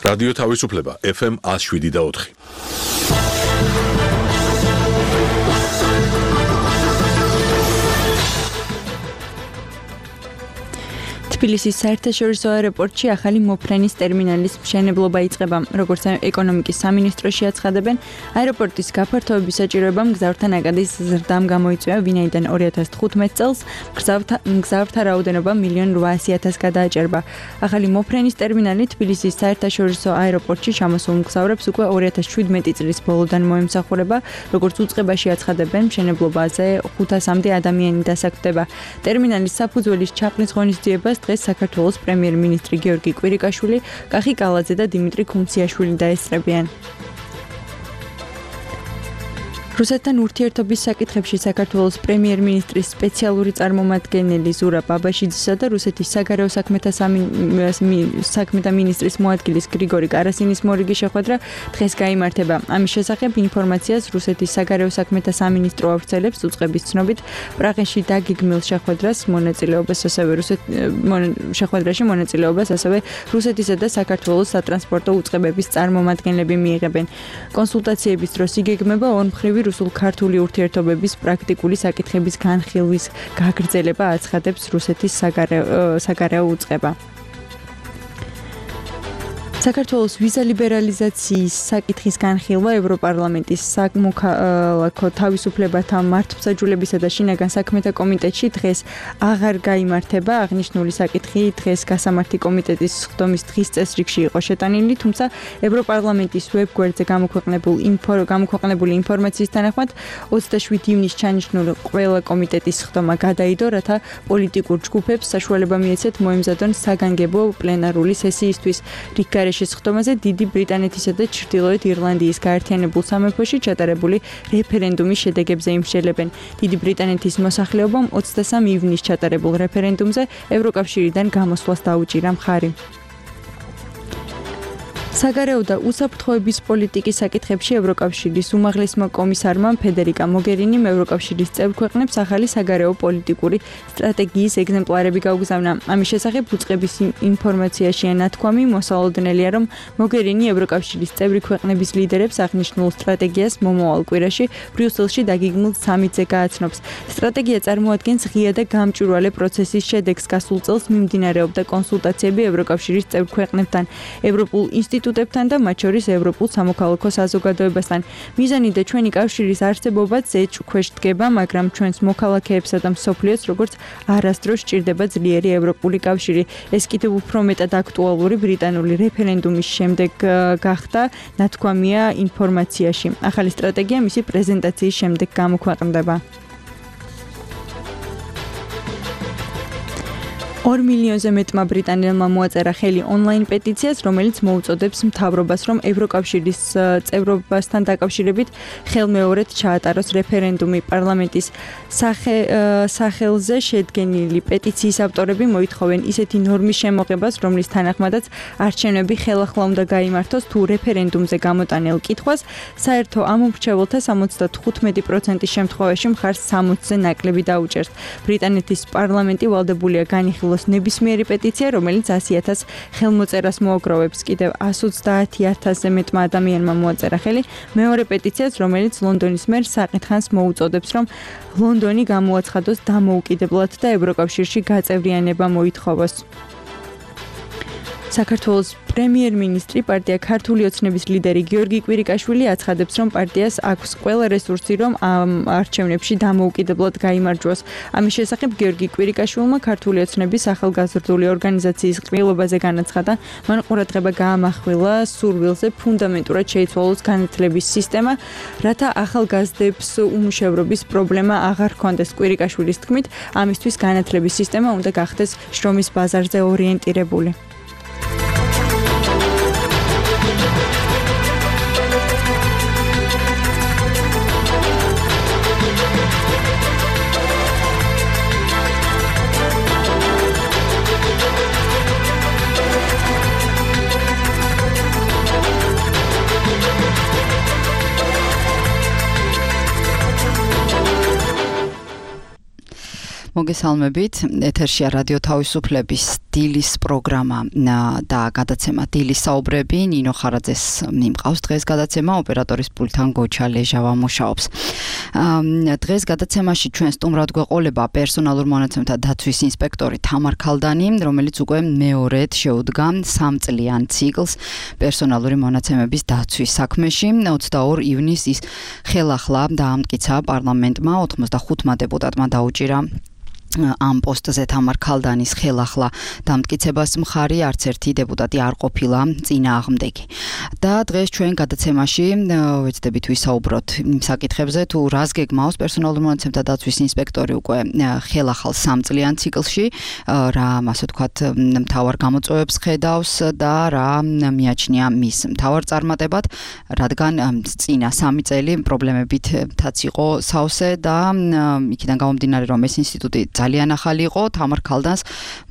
რადიო თავისუფლება FM 107.4. თბილისის საერთაშორისო აეროპორტში ახალი მოფრენის ტერმინალის მშენებლობა იწყება. როგორც ეკონომიკის სამინისტროში აცხადებენ, აეროპორტის გაფართოების საჭიროება მგზავრთა ნაკადის ზრდამ გამოიწვია, ვინაიდან 2015 წელს მგზავრთა რაოდენობა 1.8 გადააჭერბა. ახალი მოფრენის ტერმინალი თბილისის საერთაშორისო აეროპორტში ჩამოსულ მგზავრებს უკვე 2017 წლის ბოლოდან მოემსახურება, როგორც უწყებაში აცხადებენ, მშენებლობაზე 500-მდე ადამიანი დასაქმდება. ტერმინალის საფუძველის ჩაყრის ღონისძიებას დღეს საქართველოს პრემიერ-მინისტრი გიორგი კვირიკაშვილი, კახი კალაძე და დიმიტრი ქუმციაშვილი დაესწრებიან. რუსეთთან ურთიერთობის საკითხებში საქართველოს პრემიერ-მინისტრის სპეციალური წარმომადგენელი ზურაბ აბაშიძისა და რუსეთის საგარეო საქმეთა მინისტრის მოადგილის გრიგორი კარასინის მორიგი შეხვედრა დღეს გაიმართება. ამის შესახებ ინფორმაციას რუსეთის საგარეო საქმეთა სამინისტრო ავრცელებს. უწყების ცნობით, პრაღაში დაგეგმილ შეხვედრაში მონაწილეობას ასევე რუსეთისა და საქართველოს სატრანსპორტო უწყებების წარმომადგენლები მიიღებენ. კონსულტაციების დროს იგეგმება ორმხრივი რუსულ-ქართული ურთიერთობების პრაქტიკული საკითხების განხილვის გაგრძელება, აცხადებს რუსეთის საგარეო უწყება. საქართველოს ვიზა ლიბერალიზაციის საკითხის განხილვა ევროპარლამენტის სამოქალაქო თავისუფლებათა მართლმსაჯულებისა და შინაგან საქმეთა კომიტეტში დღეს აღარ გაიმართება. აღნიშნული საკითხი დღეს გასამართი კომიტეტის სხდომის დღის წესრიგში იყო შეტანილი, თუმცა ევროპარლამენტის ვებგვერდზე გამოქვეყნებული ინფორმაციის თანახმად 27 ივნისს ჩანიშნული ყველა კომიტეტის სხდომა გადაიდო, რათა პოლიტიკურ ჯგუფებს საშუალება მიეცეთ მოემზადონ საგანგებო პლენარული სესიისთვის. სხდომაზე დიდი ბრიტანეთისა და ჩრდილოეთ ირლანდიის გაერთიანებულ სამეფოში ჩატარებული რეფერენდუმის შედეგებზე იმსჯელებენ. დიდი ბრიტანეთის მოსახლეობამ 23 ივნისს ჩატარებულ რეფერენდუმზე ევროკავშირიდან გამოსვლას დაუჭირა მხარი. საგარეო და უსაფრთხოების პოლიტიკის საკითხებში ევროკავშირის უმაღლესმა კომისარმა ფედერიკა მოგერინიმ ევროკავშირის წევრ ქვეყნებს ახალი საგარეო პოლიტიკური სტრატეგიის ეგზემპლარები გაუგზავნა. ამის შესახებ უწყების ინფორმაციაშია ნათქვამი, მოსალოდნელია, რომ მოგერინი ევროკავშირის წევრი ქვეყნების ლიდერებს აღნიშნულ სტრატეგიას მომავალ კვირაში ბრიუსელში დაგეგმილ სამიტზე გააცნობს. სტრატეგია წარმოადგენს ღია და გამჭვირვალე პროცესის შედეგს. გასულ წელს მიმდინარეობდა კონსულტაციები ევროკავშირის წევრ ქვეყნებთან, ევროპულ ინსტიტუტებთან და მათ შორის ევროპულ სამოქალაქო საზოგადოებასთან. მიზანი და ჩვენი კავშირის არსებობაც ეჭვ ქვეშ დგება, მაგრამ ჩვენს მოქალაქეებსა და მსოფლიოს როგორც არასდროს სჭირდება ძლიერი ევროპული კავშირი. ეს კიდევ უფრო მეტად აქტუალური ბრიტანული რეფერენდუმის შემდეგ გახდა, ნათქვამია ინფორმაციაში. ახალი სტრატეგია მისი პრეზენტაციის შემდეგ გამოქვეყნდება. 2 მილიონზე მეტმა ბრიტანელმა მოაწერა ხელი ონლაინ პეტიციას, რომელიც მოუწოდებს მთავრობას, რომ ევროკავშირის წევრობასთან დაკავშირებით ხელმეორედ ჩაატაროს რეფერენდუმი. პარლამენტის სახელზე შედგენილი პეტიციის ავტორები მოითხოვენ ისეთი ნორმის შემოღებას, რომლის თანახმადაც არჩევნები ხელახლა უნდა გაიმართოს, თუ რეფერენდუმზე გამოტანილ კითხვას საერთო ამომრჩეველთა 75% შემთხვევაში მხარს 60-ზე ნაკლები დაუჭერს. ბრიტანეთის პარლამენტი ვალდებულია განიხილოს ნებისმიერი პეტიცია, რომელიც 100,000 ხელმოწერას მოაგროვებს. კიდევ 130,000-ზე მეტმა ადამიანმა მოაწერა ხელი მეორე პეტიციას, რომელიც ლონდონის მერს საკითხს მოუწოდებს, რომ ლონდონი გამოაცხადოს დამოუკიდებლად და ევროკავშირში გაწევრიანება მოითხოვოს. საქართველოს პრემიერ-მინისტრი პარტია ქართული ოცნების ლიდერი გიორგი კვირიკაშვილი აცხადებს, რომ პარტიას აქვს ყველა რესურსი, რომ ამ არჩევნებში დამოუკიდებლად გაიმარჯვოს. ამის შესახებ გიორგი კვირიკაშვილმა ქართული ოცნების ახალგაზრდული ორგანიზაციის ყრილობაზე განაცხადა, მან ყურადღება გაამახვილა სურვილზე ფუნდამენტურად შეიცვალოს განათლების სისტემა, რათა ახალგაზრდებს უმუშევრობის პრობლემა აღარ ჰქონდეს. კვირიკაშვილის თქმით, ამისთვის განათლების სისტემა უნდა გახდეს შრომის ბაზარზე ორიენტირებული. მოგესალმებით. ეთერშია რადიო თავისუფლების დილის პროგრამა და გადაცემა დილის საუბრები. ნინო ხარაძეს მიმყავს დღეს გადაცემა, ოპერატორის პულტთან გოჩა ლეჟავა მუშაობს. დღეს გადაცემაში ჩვენ სტუმრად გვეყოლება პერსონალურ მონაცემთა დაცვის ინსპექტორი თამარ ქალდანი, რომელიც უკვე მეორედ შეუდგა 3 წლიან ციკლს პერსონალური მონაცემების დაცვის საქმეში. 22 ივნისს ის ხელახლა დაამტკიცა პარლამენტმა 85 დეპუტატმა დაუჭირა ამ პოსტზე თამარ ქალდანის ხელახლა დამტკიცებას მხარი არც ერთი დეპუტატი არ ყოფილა წინააღმდეგი. და დღეს ჩვენ გადაცემაში ვეცდებით ვისაუბროთ იმ საკითხებზე, თუ რას გეგმავს პერსონალურ მონაცემთა დაცვის ინსპექტორი უკვე ხელახალ 3 წლიან ციკლში, რა ასე ვთქვათ მთავარ გამოწვევებს ხედავს და რა მიაჩნია მის მთავარ წარმატებად, რადგან წინა 3 წელი პრობლემებითაც იყო სავსე და იქიდან გამომდინარე რომ ეს ინსტიტუტი ძალიან ახალი იყო, თამარ ქალდანს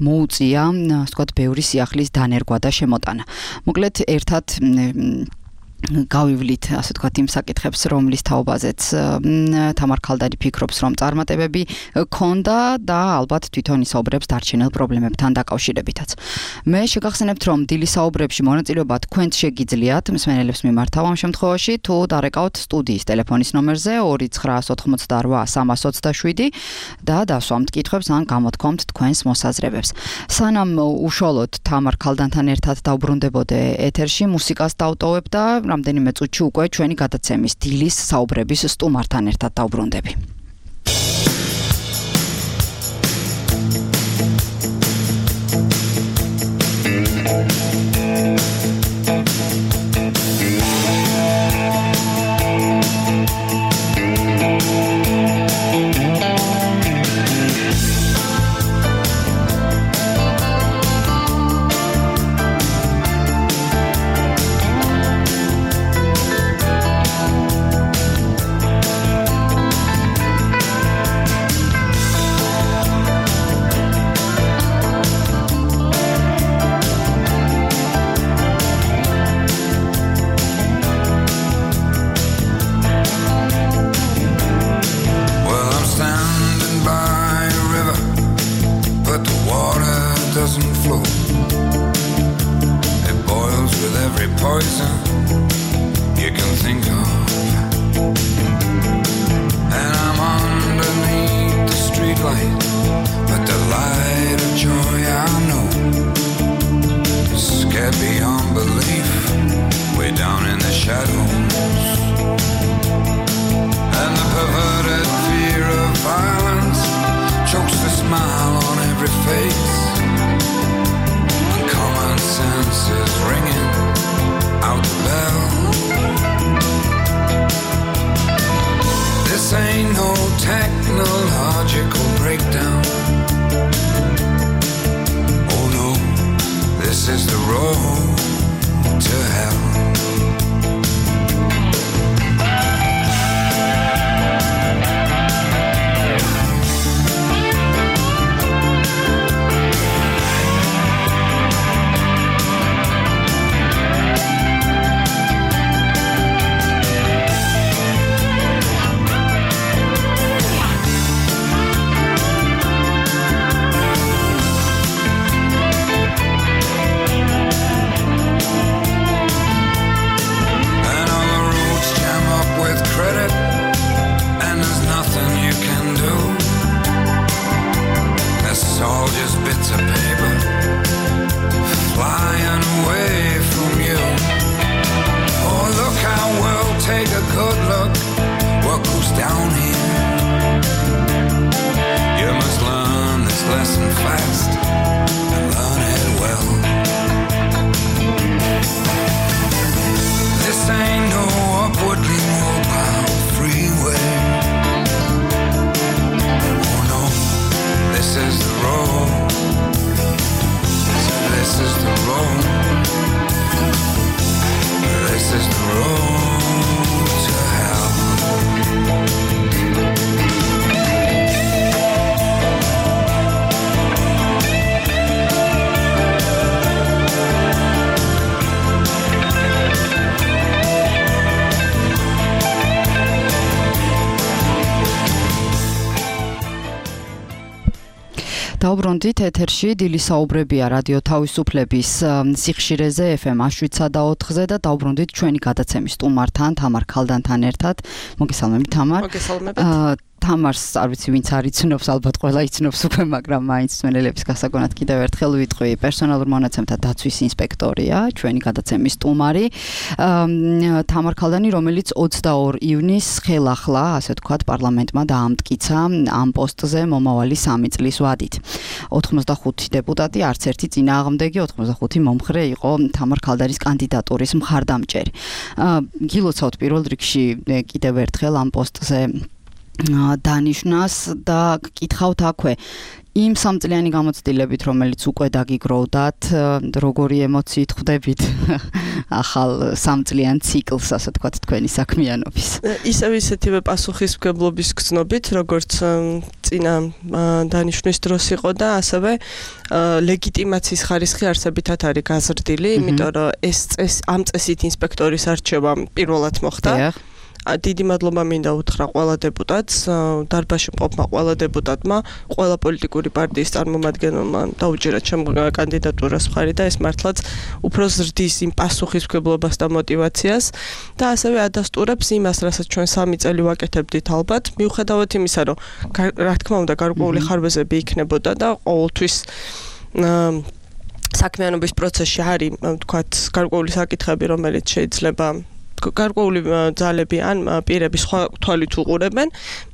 მოუწია, ასე ვთქვათ, ბევრი სიახლის დანერგვა და შემოტანა. მოკლედ ერთად გავივლით, ასე ვთქვათ, იმ საკითხებს, რომლის თაობაზეც თამარ ქალდანი ფიქრობს, რომ წარმატებები ქონდა და ალბათ თვითონ ისაუბრებს დარჩენილ პრობლემებთან დაკავშირებითაც. მე შეგახსენებთ, რომ დილის საუბრებში მონაწილეობა თქვენც შეგიძლიათ, მსმენელებს მიმართავ ამ შემთხვევაში, თუ დარეკავთ სტუდიის ტელეფონის ნომერზე 2988 და დასვამთ კითხვებს ან გამოთქვამთ თქვენს მოსაზრებებს. სანამ უშუალოდ თამარ ქალდანთან ერთად დავბრუნდებოდე ეთერში, მუსიკას დავტოვებ და რამდენიმე წუთში უკვე ჩვენი გადაცემის დილის საუბრების სტუმართან ერთად დავბრუნდები. დაუბრუნდით ეთერში დილის საუბრებია რადიო თავისუფლების სიხშირეზე FM 7.4-ზე და დაუბრუნდით ჩვენი გადაცემის სტუმართან თამარ ქალდანთან ერთად. მოგესალმებით თამარ. მოგესალმებით. თამარს არ ვიცი ვინც არ იცნობს, ალბათ ყველა იცნობს უკვე, მაგრამ მაინც მსმენელების გასაგონად კიდევ ერთხელ ვიტყვი, პერსონალურ მონაცემთა დაცვის ინსპექტორია, ჩვენი გადაცემის სტუმარი. თამარ ქალდანი, რომელიც 22 ივნისს ხელახლა, ასე ვთქვათ, პარლამენტმა დაამტკიცა ამ პოსტზე მომავალი 3 წლის ვადით. 85 დეპუტატი, არც ერთი წინააღმდეგი, 85 მომხრე იყო თამარ ქალდანის კანდიდატურის მხარდამჭერი. გილოცავთ პირველ რიგში კიდევ ერთხელ ამ პოსტზე დანიშნას და გკითხავთ აქვე იმ 3 წლიანი გამოცდილებით, რომელიც უკვე დაგიგროვდათ, როგორი ემოციით ხვდებით ახალ 3 წლიან ციკლს, ასე ვთქვათ, თქვენი საქმიანობის. ისეთივე პასუხისმგებლობის გრძნობით, როგორც წინა დანიშვნის დროს იყო და ასევე ლეგიტიმაციის ხარისხი არსებითად არის გაზრდილი, იმიტომ რომ ამ წესით ინსპექტორის არჩევა პირველად მოხდა. დიდი მადლობა მინდა უთხრა ყველა დეპუტატს, დარბაზში მყოფმა ყველა დეპუტატმა, ყველა პოლიტიკური პარტიის წარმომადგენელმა დაუჭირა ჩემ კანდიდატურას მხარი და ეს მართლაც უფრო ზრდის იმ პასუხისმგებლობას და мотивაციას და ასევე ადასტურებს იმას, რასაც ჩვენ 3 წელი ვაკეთებდით ალბათ, მიუხედავად იმისა, რომ რა თქმა უნდა გარკვეული ხარბეზები იქნებოდა და ყოველთვის საქმიანობის პროცესში არის, თქვათ, გარკვეული საკითხები, რომელიც შეიძლება გარკვეული ძალები ან პირები სხვა თვალით უყურებენ,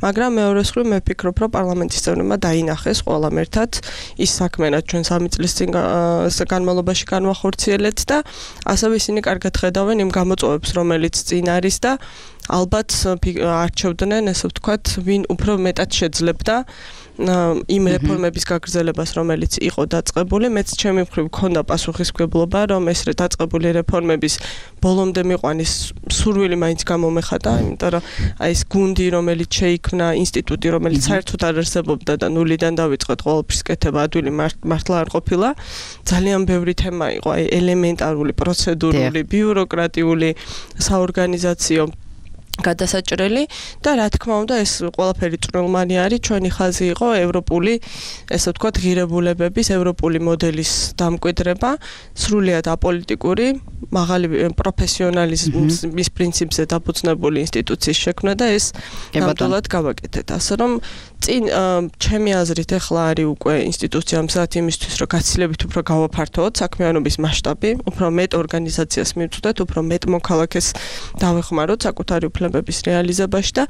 მაგრამ მეორე მხრივ მე ვფიქრობ, რომ პარლამენტის წევრებმა დაინახეს ყველამ ერთად ის საქმე, რაც ჩვენ 3 წლის წინ განმავლობაში განვახორციელეთ და ასევე ისინი კარგად ხედავენ იმ გამოწვევებს, რომელიც წინ არის და ალბათ არჩევდნენ, ესე ვთქვათ, ვინ უფრო მეტად შეძლებდა იმ რეფორმების გაგრძელებას, რომელიც იყო დაწყებული. მეც ჩემი მხრივ მქონდა პასუხისმგებლობა, რომ ეს დაწყებული რეფორმების ბოლომდე მიყვანის სურვილი მაინც გამომეხატა, იმიტომ რომ აი ეს გუნდი, რომელიც შეიქმნა, ინსტიტუტი, რომელიც საერთოდ არ არსებობდა და ნულიდან დავიწყეთ ყოველფრის კეთება, ადვილი მართლა არ ყოფილა. ძალიან ბევრი თემა იყო, აი ელემენტარული, პროცედურული, ბიუროკრატიული, საორგანიზაციო გადასაჭრელი და რა თქმა უნდა ეს ყველაფერი წვრილმანი არის, ჩვენი ხაზი იყო ევროპული, ესე ვთქვათ, ღირებულებების, ევროპული მოდელის დამკვიდრება, სრულიად აპოლიტიკური, მაღალი პროფესიონალიზმის პრინციპზე დაფუძნებული ინსტიტუციის შექმნა და ეს ნამდვილად გავაკეთეთ. ასე რომ წინ ჩემი აზრით ახლა არის უკვე ინსტიტუცია მზად იმისთვის, რომ გაცილებით უფრო გავაფართოოთ საქმიანობის მასშტაბი, უფრო მეტ ორგანიზაციას მივწვდეთ, უფრო მეტ მოქალაქეს დავეხმაროთ საკუთარი უფლებების რეალიზებაში და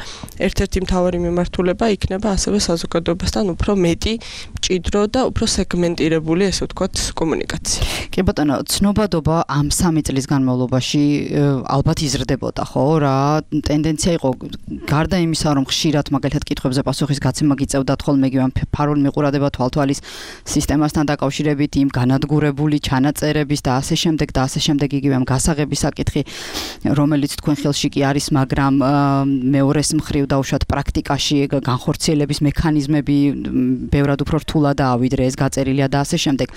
ერთ-ერთი მთავარი მიმართულება იქნება ასევე საზოგადოებასთან უფრო მეტი მჭიდრო და უფრო სეგმენტირებული, ესე ვთქვათ, კომუნიკაცია. კი ბატონო, ცნობადობა ამ 3 წლის განმავლობაში ალბათ იზრდებოდა, ხო? რა ტენდენცია იყო გარდა იმისა, რომ ხშირად მაგალითად კითხვებზე პასუხის გაცემა გიწევდათ ხოლმე იგივე ფარულ მიყურადება თვალთვალის სისტემასთან დაკავშირებით, იმ განადგურებული ჩანაწერების და ასე შემდეგ იგივე ამ გასაღების საკითხი, რომელიც თქვენ ხელში კი არის, მაგრამ მეორეს მხრივ დაუშვათ პრაქტიკაში განხორციელების მექანიზმები ბევრად უფრო რთულადაა, ვიდრე ეს გაწერილია და ასე შემდეგ.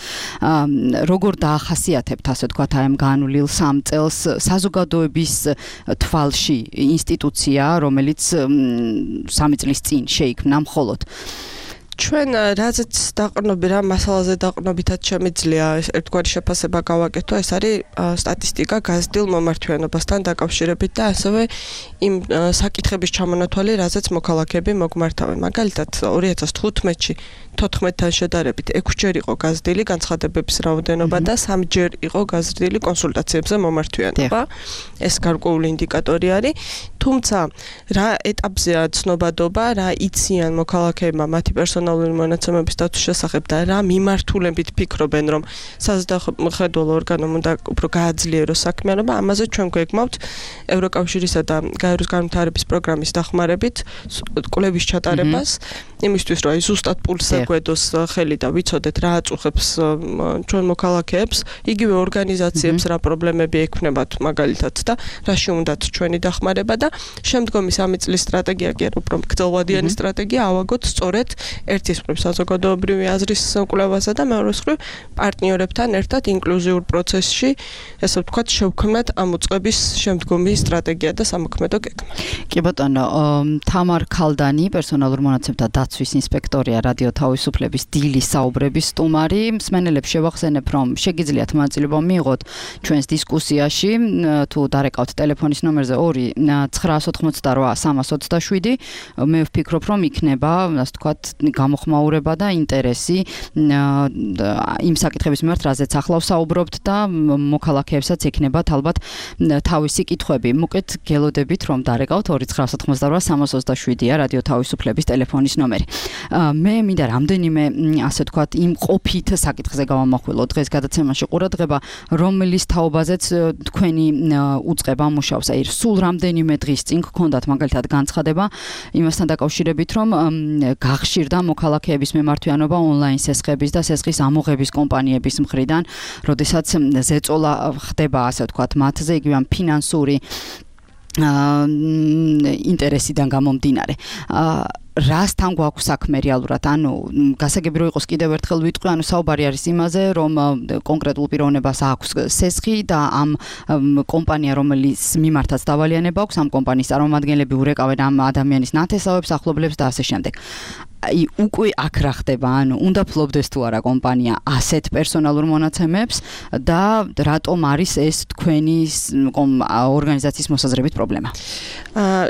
როგორ დაახასიათებთ, ასე ვთქვათ, აი ამ განვლილ 3 წელს საზოგადოების თვალში ინსტიტუცია, რომელიც 3 წლის წინ შეიქმნა მხოლოდ ჩვენ რაზეც დაყრდნობით, რა მასალაზე დაყრდნობითაც შემიძლია ერთგვარი შეფასება გავაკეთო, ეს არის სტატისტიკა გაზრდილ მომართვიანობასთან დაკავშირებით და ასევე იმ საკითხების ჩამონათვალი, რაზეც მოქალაქეები მოგმართავენ. მაგალითად, 2015-ში 14-თან შედარებით 6-ჯერ იყო გაზრდილი განცხადებების რაოდენობა და 3-ჯერ იყო გაზრდილი კონსულტაციებზე მომართვიანობა. ეს გარკვეული ინდიკატორი არის. თუმცა, რა ეტაპზეა ცნობადობა, რა იციან მოქალაქეებმა მათი პერსონალური მონაცემების დაცვის შესახებ და რა მიმართულებით ფიქრობენ, რომ საზოგადოებრივ ორგანომ უნდა უფრო გააძლიეროს საქმიანობა, ამაზე ჩვენ გვეგმავთ ევროკავშირისა და გაეროს განვითარების პროგრამის დახმარებით კვლევის ჩატარებას, იმისთვის, რომ ზუსტად პულსზე გვედოს ხელი და ვიცოდეთ რა აწუხებს ჩვენ მოქალაქეებს, იგივე ორგანიზაციებს რა პრობლემები ექმნებათ მაგალითად და რაში უნდათ ჩვენი დახმარება და შემდგომი 3 წლის სტრატეგია კი არა, უფრო გრძელვადიანი სტრატეგია ავაგოთ სწორედ ერთის მხრივ საზოგადოებრივი აზრის კვლევასა და მეორეს მხრივ პარტნიორებთან ერთად ინკლუზიურ პროცესში, ესე ვთქვათ, შევქმნათ ამ უწყების შემდგომი სტრატეგია და სამოქმედო გეგმა. კი ბატონო, თამარ ქალდანი, პერსონალურ მონაცემთა დაცვის ინსპექტორია, რადიო თავისუფლების დილის საუბრების სტუმარი. მსმენელებს შევახსენებ, რომ შეგიძლიათ მონაწილეობა მიიღოთ ჩვენს დისკუსიაში, თუ დარეკავთ ტელეფონის ნომერზე 2-988-327. მე ვფიქრობ, რომ იქნება, ასე ვთქვათ, გამოხმაურება და ინტერესი იმ საკითხების მიმართ, რაზეც ახლა ვსაუბრობთ და მოქალაქეებსაც ექნებათ ალბათ თავისი კითხვები. მოკეთ გელოდებით, რომ დარეკავთ 2-988-327-ია რადიო თავისუფლების ტელეფონის ნომერი. მე მინდა რამდენიმე, ასე ვთქვათ, იმ ყოფით საკითხზე გავამახვილო დღეს გადაცემაში ყურადღება, რომლის თაობაზეც თქვენი უწყება მუშაობს. აი, სულ რამდენიმე დღის წინ გქონდათ მაგალითად განცხადება იმასთან დაკავშირებით, რომ გახშირდა მოქალაქეების მემართვიანობა ონლაინ სესხების და სესხის ამოღების კომპანიების მხრიდან, როდესაც ზეწოლა ხდება, ასე ვთქვათ, მათზე იგივე ამ ფინანსური ინტერესიდან გამომდინარე. რასთან გვაქვს საქმე რეალურად? ანუ გასაგები რომ იყოს კიდევ ერთხელ ვიტყვი, ანუ საუბარი არის იმაზე, რომ კონკრეტულ პიროვნებას აქვს სესხი და ამ კომპანია, რომელიც მიმართაც დავალიანება აქვს, ამ კომპანიის წარმომადგენლები ურეკავენ ამ ადამიანის ნათესავებს, ახლობლებს და ასე შემდეგ. აი, უკვე აქ რა ხდება? ანუ უნდა ფლობდეს თუ არა კომპანია ასეთ პერსონალურ მონაცემებს და რატომ არის ეს თქვენი ორგანიზაციის მოსაზრებით პრობლემა?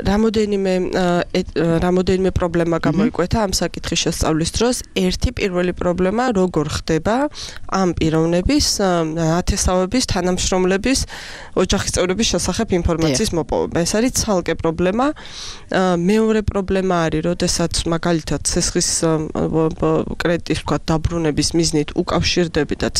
რამოდენიმე პრობლემა გამოიკვეთა ამ საკითხის შესწავლის დროს. ერთი პირველი პრობლემა, როგორ ხდება ამ პიროვნების ნათესავების თანამშრომლების ოჯახის წევრების შესახებ ინფორმაციის მოპოვება. ეს არის ცალკე პრობლემა. მეორე პრობლემა არის, როდესაც მაგალითად სესხის კრედიტის ვთქვათ დაბრუნების მიზნით უკავშირდებით და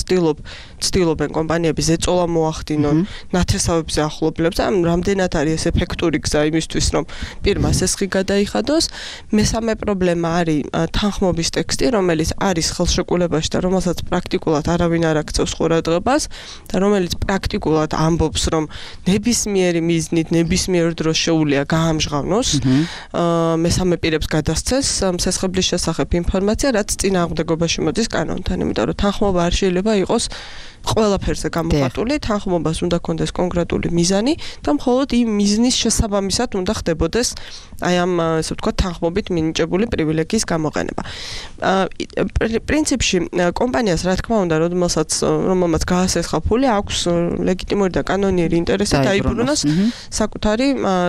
ცდილობენ კომპანიები ზეწოლა მოახდინონ ნათესავებზე ახლობლებს. ამ რამდენად არის ეს ეფექტური გზა იმისთვის, რომ პირმა სესხი გადაიხადოს. მესამე პრობლემა არის თანხმობის ტექსტი, რომელიც არის ხელშეკრულებაში და რომელსაც პრაქტიკულად არავინ არ აქცევს ყურადღებას და რომელიც პრაქტიკულად ამბობს, რომ ნებისმიერი მიზნით, ნებისმიერ დროს შეუძლია გაამჟღავნოს მესამე პირებს გადასცეს სესხების შესახებ ინფორმაცია, რაც წინააღმდეგობაში მოდის კანონთან, იმიტომ რომ თანხმობა არ შეიძლება იყოს ყველაფერზე გამოხატული, თანხმობას უნდა კონდეს კონკრეტული მიზანი და მხოლოდ იმ მიზნის შესაბამისად უნდა ხდებოდეს აი ამ, ესე ვთქვათ, თანხმობით მინიჭებული პრივილეგიის გამოყენება. პრინციპში კომპანიას, რა თქმა უნდა, რომელმაც გაასესხა ფული, აქვს ლეგიტიმური და კანონიერი ინტერესი დაიბრუნოს საკუთარი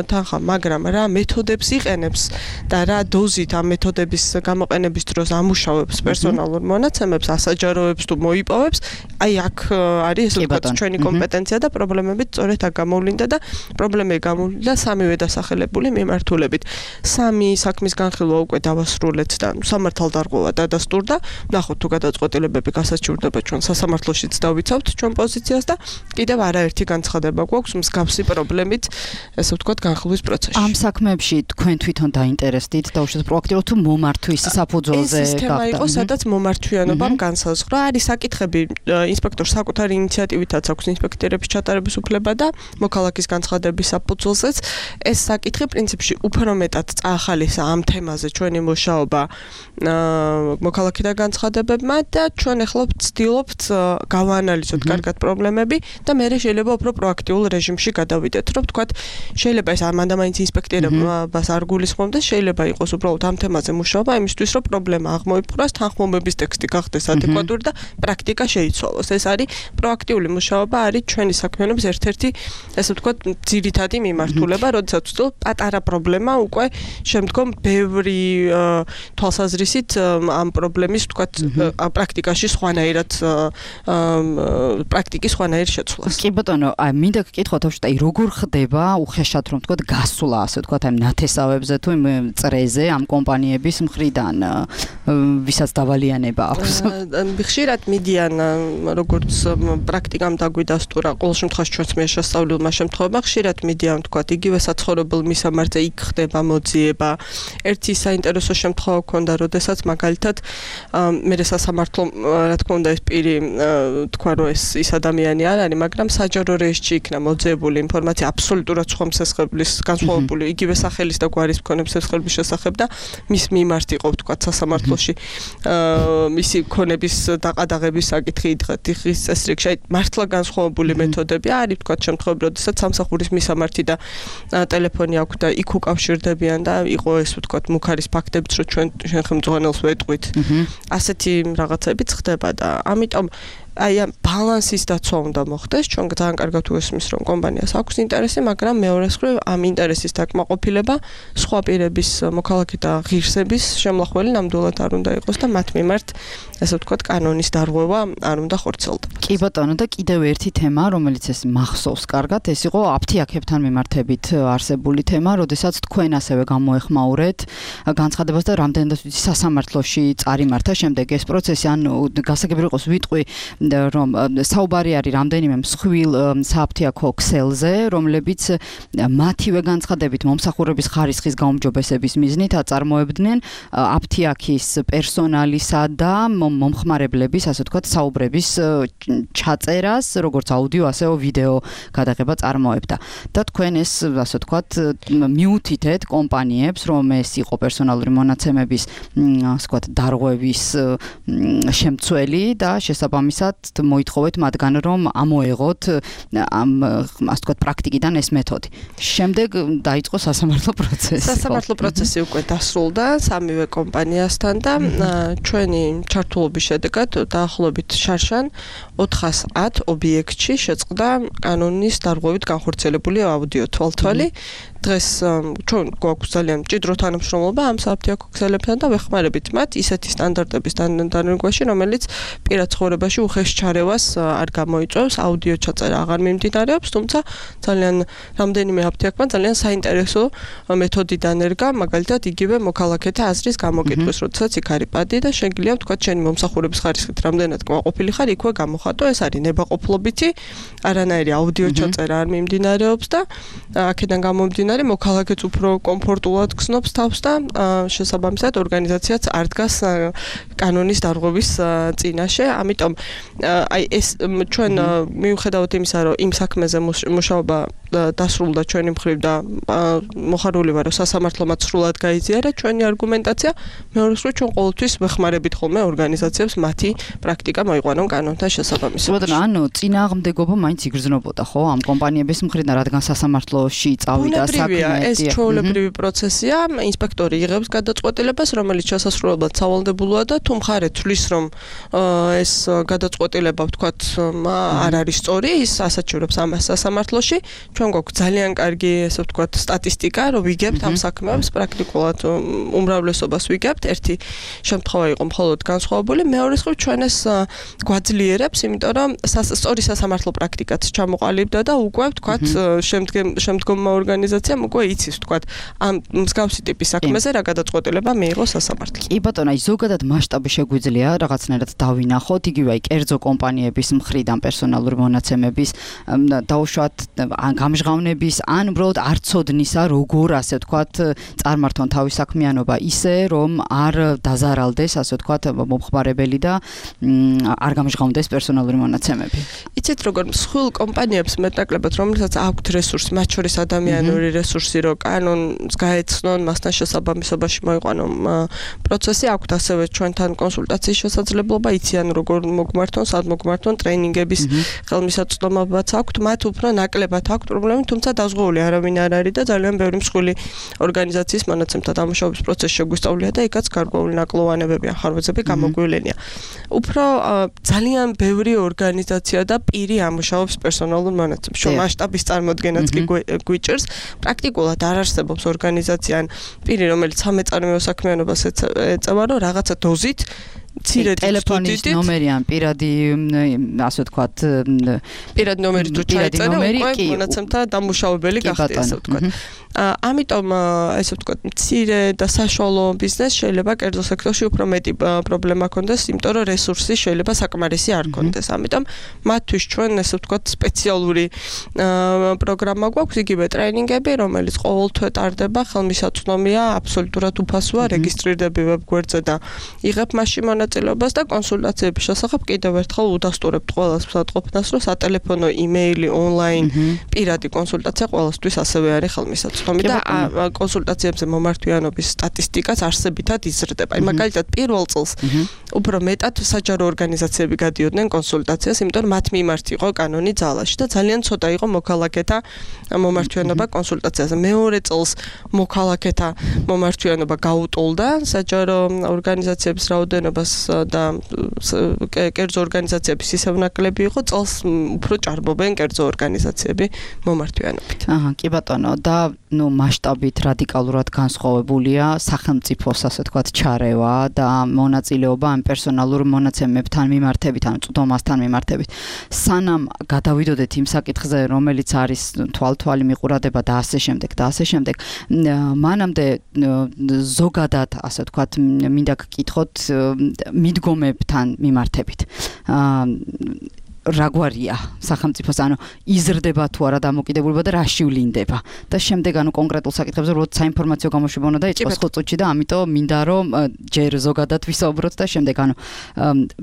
თანხა, მაგრამ რა მეთოდებს იყენებს და რა დოზით ამ მეთოდების გამოყენების დროს ამუშავებს პერსონალურ მონაცემებს, ასაჯაროებს თუ მოიპოვებს, აი აქ არის ესე ვთქვათ ჩვენი კომპეტენცია და პრობლემები სწორედ აქ გამოვლინდა და პრობლემები გამოვლინდა სამივე დასახელებული მიმართულებით. სამი საქმის განხილვა უკვე დავასრულეთ და სამართალდარღვევა დადასტურდა. ნახოთ თუ გადაწყვეტილებები გასაჩივრდება ჩვენ სასამართლოშიც დავიცავთ ჩვენ პოზიციას და კიდევ არაერთი განცხადება გვაქვს მსგავსი პრობლემით, ესე ვთქვათ, განხილვის პროცესში. ამ საქმეებში თქვენ თვითონ დაინტერესდით და უშუალოდ პროაქტიულად თუ მომართვის საფუძველზე ეს თემა იყო, სადაც მომართვიანობამ განსაზღვრა. არის საკითხები ინსპექტორს საკუთარი ინიციატივითაც აქვს ინსპექტორების ჩატარების უფლება და მოქალაქის განცხადების საფუძველზეც ეს საკითხი პრინციპში უფრო მეტად წაახალისა ამ თემაზე ჩვენი მუშაობა მოქალაქეთა განცხადებებმა და ჩვენ ახლა ვცდილობთ გავაანალიზოთ კარგად პრობლემები და მე შეიძლება უფრო პროაქტიულ რეჟიმში გადავიდეთ, რომ ვთქვათ, შეიძლება ეს ამანდამაინც ინსპექტორებს არ გულისხმობდეს, შეიძლება იყოს უბრალოდ ამ თემაზე მუშაობა იმისთვის, რომ პრობლემა აღმოიფხვრას, თანხმობების ტექსტი გახდეს ადეკვატური და პრაქტიკა შეიცვალოს. ეს არის პროაქტიული მუშაობა, არის ჩვენი საქმიანობის ერთ-ერთი, ესე ვთქვათ, ძირითადი მიმართულება, როდესაც ვცდილობ პატარა პრობლემა უკვე შემდგომ ბევრი თვალსაზრისით ამ პრობლემის, ვთქვათ, პრაქტიკაში სხვანაირად პრაქტიკის სხვანაირ შეცვლას. კი ბატონო, აი მინდა გკითხოთ, აი როგორ ხდება უხეშად რომ ვთქვათ გასვლა, ასე ვთქვათ, აი ნათესავებზე თუ იმ წრეზე ამ კომპანიების მხრიდან ვისაც დავალიანება აქვს. ხშირად მიდიან, როგორც როგორც პრაქტიკამ დაგვიდასტურა, ყოველ შემთხვევაში ჩვენს მიერ შესწავლილმა შემთხვევებმა ხშირად მიდიან თქვა იგივე საცხოვრებელ მისამართზე იქ ხდება მოძიება. ერთი საინტერესო შემთხვევა ქონდა, როდესაც მაგალითად მე სასამართლო რა თქმა უნდა ეს პირი თქვა რომ ის ადამიანი არ არის, მაგრამ საჯარო რეესტრში იქნა მოძიებული ინფორმაცია აბსოლუტურად სხვა მსესხებლის განსხვავებული იგივე სახელის და გვარის მქონე მსესხების შესახებ და მის მიმართ იყო თქვა სასამართლოში მისი ქონების დაყადაღების საკითხი დღის წესრიგში მართლა განსხვავებული მეთოდები არის თქვა შემთხვევები, როდესაც სამსახურის მისამართი და ტელეფონი აქვს და იქ უკავშირდებიან და იყო ეს თქვა მუქარის ფაქტებიც რომ ჩვენ ხელმძღვანელს ვეტყვით. ასეთი რაღაცებიც ხდება და ამიტომ აი ამ ბალანსის დაცვა უნდა მოხდეს. ჩვენ ძალიან კარგად უესმის რომ კომპანიას აქვს ინტერესი, მაგრამ მეორეს მხრივ ამ ინტერესის დაკმაყოფილება სხვა პირების მოქალაქე და ღირსების შემლახველი ნამდვილად არ უნდა იყოს და მათ მიმართ ესე ვთქვათ კანონის დარღვევა არ უნდა ხორცელდეს. კი ბატონო და კიდევ ერთი თემა, რომელიც ეს მახსოვს კარგად, ეს იყო აფთიაქებთან მიმართებით არსებული თემა, როდესაც თქვენ ასევე გამოეხმაურეთ განცხადებას და რამდენადაც სასამართლოში წარიმართა შემდეგ ეს პროცესი, ანუ გასაგები იყოს ვიტყვი რომ საუბარი არის რამდენიმე მსხვილ სააფთიაქო ქსელზე, რომლებიც მათივე განცხადებით მომსახურების ხარისხის გაუმჯობესების მიზნით აწარმოებდნენ აფთიაქის პერსონალისა და მომხმარებლების, ასე ვთქვათ, საუბრების ჩაწერას, როგორც აუდიო, ასევე ვიდეო გადაღება წარმოებდა. და თქვენ ეს, ასე ვთქვათ, მიუთითეთ კომპანიებს, რომ ეს იყო პერსონალური მონაცემების, ასე ვთქვათ, დარღვევის შემცველი და შესაბამისად მოითხოვეთ მათგან რომ ამოეღოთ ამ ასე ვთქვათ პრაქტიკიდან ეს მეთოდი. შემდეგ დაიწყო სასამართლო პროცესი. სასამართლო პროცესი უკვე დასრულდა სამივე კომპანიასთან და ჩვენი ჩართულობის შედეგად დაახლოებით შარშან 410 ობიექტში შეწყდა კანონის დარღვევით განხორციელებული აუდიო თვალთვალი. დღეს ჩვენ გვაქვს ძალიან მჭიდრო თანამშრომლობა ამ სააფთიაქო ქსელებთან და ვეხმარებით მათ ისეთი სტანდარტების დანერგვაში, რომელიც პირად ცხოვრებაში უხეშ ჩარევას არ გამოიწვევს, აუდიო ჩაწერა აღარ მიმდინარეობს, თუმცა ძალიან რამდენიმე აფთიაქმა ძალიან საინტერესო მეთოდი დანერგა, მაგალითად იგივე მოქალაქეთა აზრის გამოკითხვის, როდესაც იქ არის პადი და შეგიძლია თქვა შენი მომსახურების ხარისხით რამდენად კმაყოფილი ხარ, იქვე გამოხატო, ეს არის ნებაყოფლობითი, არანაირი აუდიო ჩაწერა არ მიმდინარეობს და აქედან გამომდინარე მოქალაქეც უფრო კომფორტულად გრძნობს თავს და შესაბამისად ორგანიზაციაც არ დგას კანონის დარღვევის წინაშე. ამიტომ აი ეს ჩვენ მიუხედავად იმისა, რომ იმ საქმეზე მუშაობა დასრულდა ჩვენი მხრივ და მოხარული ვარ, რომ სასამართლომაც სრულად გაიზიარა ჩვენი არგუმენტაცია, მეორე მხრივ ჩვენ ყოველთვის ვეხმარებით ხოლმე ორგანიზაციებს მათი პრაქტიკა მოიყვანონ კანონთან შესაბამისად. ბატონო, ანუ წინააღმდეგობა მაინც იგრძნობოდა, ხო, ამ კომპანიების მხრიდან, რადგან სასამართლოში წავიდა საქმე. ეს ჩვეულებრივი პროცესია, ინსპექტორი იღებს გადაწყვეტილებას, რომელიც შესასრულებლად სავალდებულოა და თუ მხარე თვლის, რომ ეს გადაწყვეტილება, ვთქვათ, არ არის სწორი, ის ასაჩივრებს ამას სასამართლოში. ჩვენ გვაქვს ძალიან კარგი, ესე ვთქვათ, სტატისტიკა, რომ ვიგებთ ამ საქმეებს პრაქტიკულად უმრავლესობას ვიგებთ. ერთი შემთხვევა იყო მხოლოდ განსხვავებული, მეორე მხრივ ჩვენ ეს გვაძლიერებს, იმიტომ რომ სწორი სასამართლო პრაქტიკაც ჩამოყალიბდა და უკვე ვთქვათ, შემდგომმა ორგანიზაციამ უკვე იცის, ვთქვათ, ამ მსგავსი ტიპის საქმეზე რა გადაწყვეტილება მიიღო სასამართლომ. კი ბატონო, აი ზოგადად მასშტაბი შეგვიძლია რაღაცნაირად დავინახოთ, იგივე აი კერძო კომპანიების მხრიდან პერსონალური მონაცემების დაუშვათ გამჟღავნების ან უბრალოდ არცოდნისა, როგორ ასე ვთქვათ, წარმართონ თავის საქმიანობა ისე, რომ არ დაზარალდეს, ასე ვთქვათ, მომხმარებელი და არ გამჟღავნდეს პერსონალური მონაცემები. იცით როგორ მსხვილ კომპანიებს მეტნაკლებად, რომელსაც აქვთ რესურსი, მათ შორის ადამიანური რესურსი, რომ კანონს გაეცნონ, მასთან შესაბამისობაში მოიყვანონ პროცესი, აქვთ ასევე ჩვენთან კონსულტაციის შესაძლებლობა, იციან როგორ მოგმართონ, სად მოგმართონ, ტრეინინგების ხელმისაწვდომობაც აქვთ, მათ უფრო ნაკლებად აქვთ პრობლემები, თუმცა დაზღვეული არავინ არ არის და ძალიან ბევრი მსხვილი ორგანიზაციის მონაცემთა დამუშავების პროცესი შეგვისწავლია და იქაც გარკვეული ნაკლოვანებები, ახარვეძები გამოგვივლენია. უფრო ძალიან ბევრი ორგანიზაცია და პირი ამუშავებს პერსონალურ მონაცემებს. შო მასშტაბის წარმოდგენაც კი გვიჭირს. პრაქტიკულად არ არსებობს ორგანიზაცია ან პირი, რომელიც სამეწარმეო საქმიანობას ეწევა, რომ რაღაცა დოზით ტელეფონის ნომერი ან პირადი ასე ვთქვათ პირადი ნომერი თუ ჩაეწერა უკვე მონაცემთა დამუშავებელი გახდა ასე ვთქვათ. ამიტომ ესე ვთქვათ მცირე და საშუალო ბიზნესს შეიძლება კერძო სექტორში უფრო მეტი პრობლემა ჰქონდეს, იმიტომ რომ რესურსი შეიძლება საკმარისი არ ჰქონდეს. ამიტომ მათთვის ჩვენ ესე ვთქვათ სპეციალური პროგრამა გვაქვს, იგივე ტრეინინგები, რომელიც ყოველთვე ტარდება, ხელმისაწვდომია, აბსოლუტურად უფასოა, რეგისტრირდები ვებგვერდზე და იღებ მასში მონაწილეობას და კონსულტაციების შესახებ კიდევ ერთხელ უდასტურებთ ყველას მსაჯყოფნას, რომ სატელეფონო, იმეილი, ონლაინ, პირადი კონსულტაცია ყველასთვის ასევე არის ხელმისაწვდომი და კონსულტაციებზე მომართვიანობის სტატისტიკაც არსებითად იზრდება. მაგალითად, პირველ წელს უფრო მეტად საჯარო ორგანიზაციები გადიოდნენ კონსულტაციას, იმიტომ რომ მათ მიმართ იყო კანონი ძალაში და ძალიან ცოტა იყო მოქალაქეთა მომართვიანობა კონსულტაციაზე. მეორე წელს მოქალაქეთა მომართვიანობა გაუტოლდა საჯარო ორგანიზაციების რაოდენობას და კერძო ორგანიზაციების ისევ ნაკლები იყო, წელს უფრო ჭარბობენ კერძო ორგანიზაციები მომართვიანობით. კი ბატონო, და მასშტაბით რადიკალურად განსხვავებულია სახელმწიფოს ასე ვთქვათ ჩარევა და მონაწილეობა ამ პერსონალურ მონაცემებთან მიმართებით, ან წვდომასთან მიმართებით. სანამ გადავიდოდეთ იმ საკითხზე, რომელიც არის თვალთვალი მიყურადება და ასე შემდეგ და ასე შემდეგ, მანამდე ზოგადად ასე ვთქვათ მინდა გკითხოთ მიდგომებთან მიმართებით. რაგვარია სახელმწიფოს, ანუ იზრდება თუ არა დამოკიდებულება და რა შევლინდება და შემდეგ ანუ კონკრეტულ საკითხებზე როცა საინფორმაციო გამოშვება უნდა დაიწყოს ხო წუთში და ამიტომ მინდა რომ ჯერ ზოგადად ვისაუბროთ და შემდეგ ანუ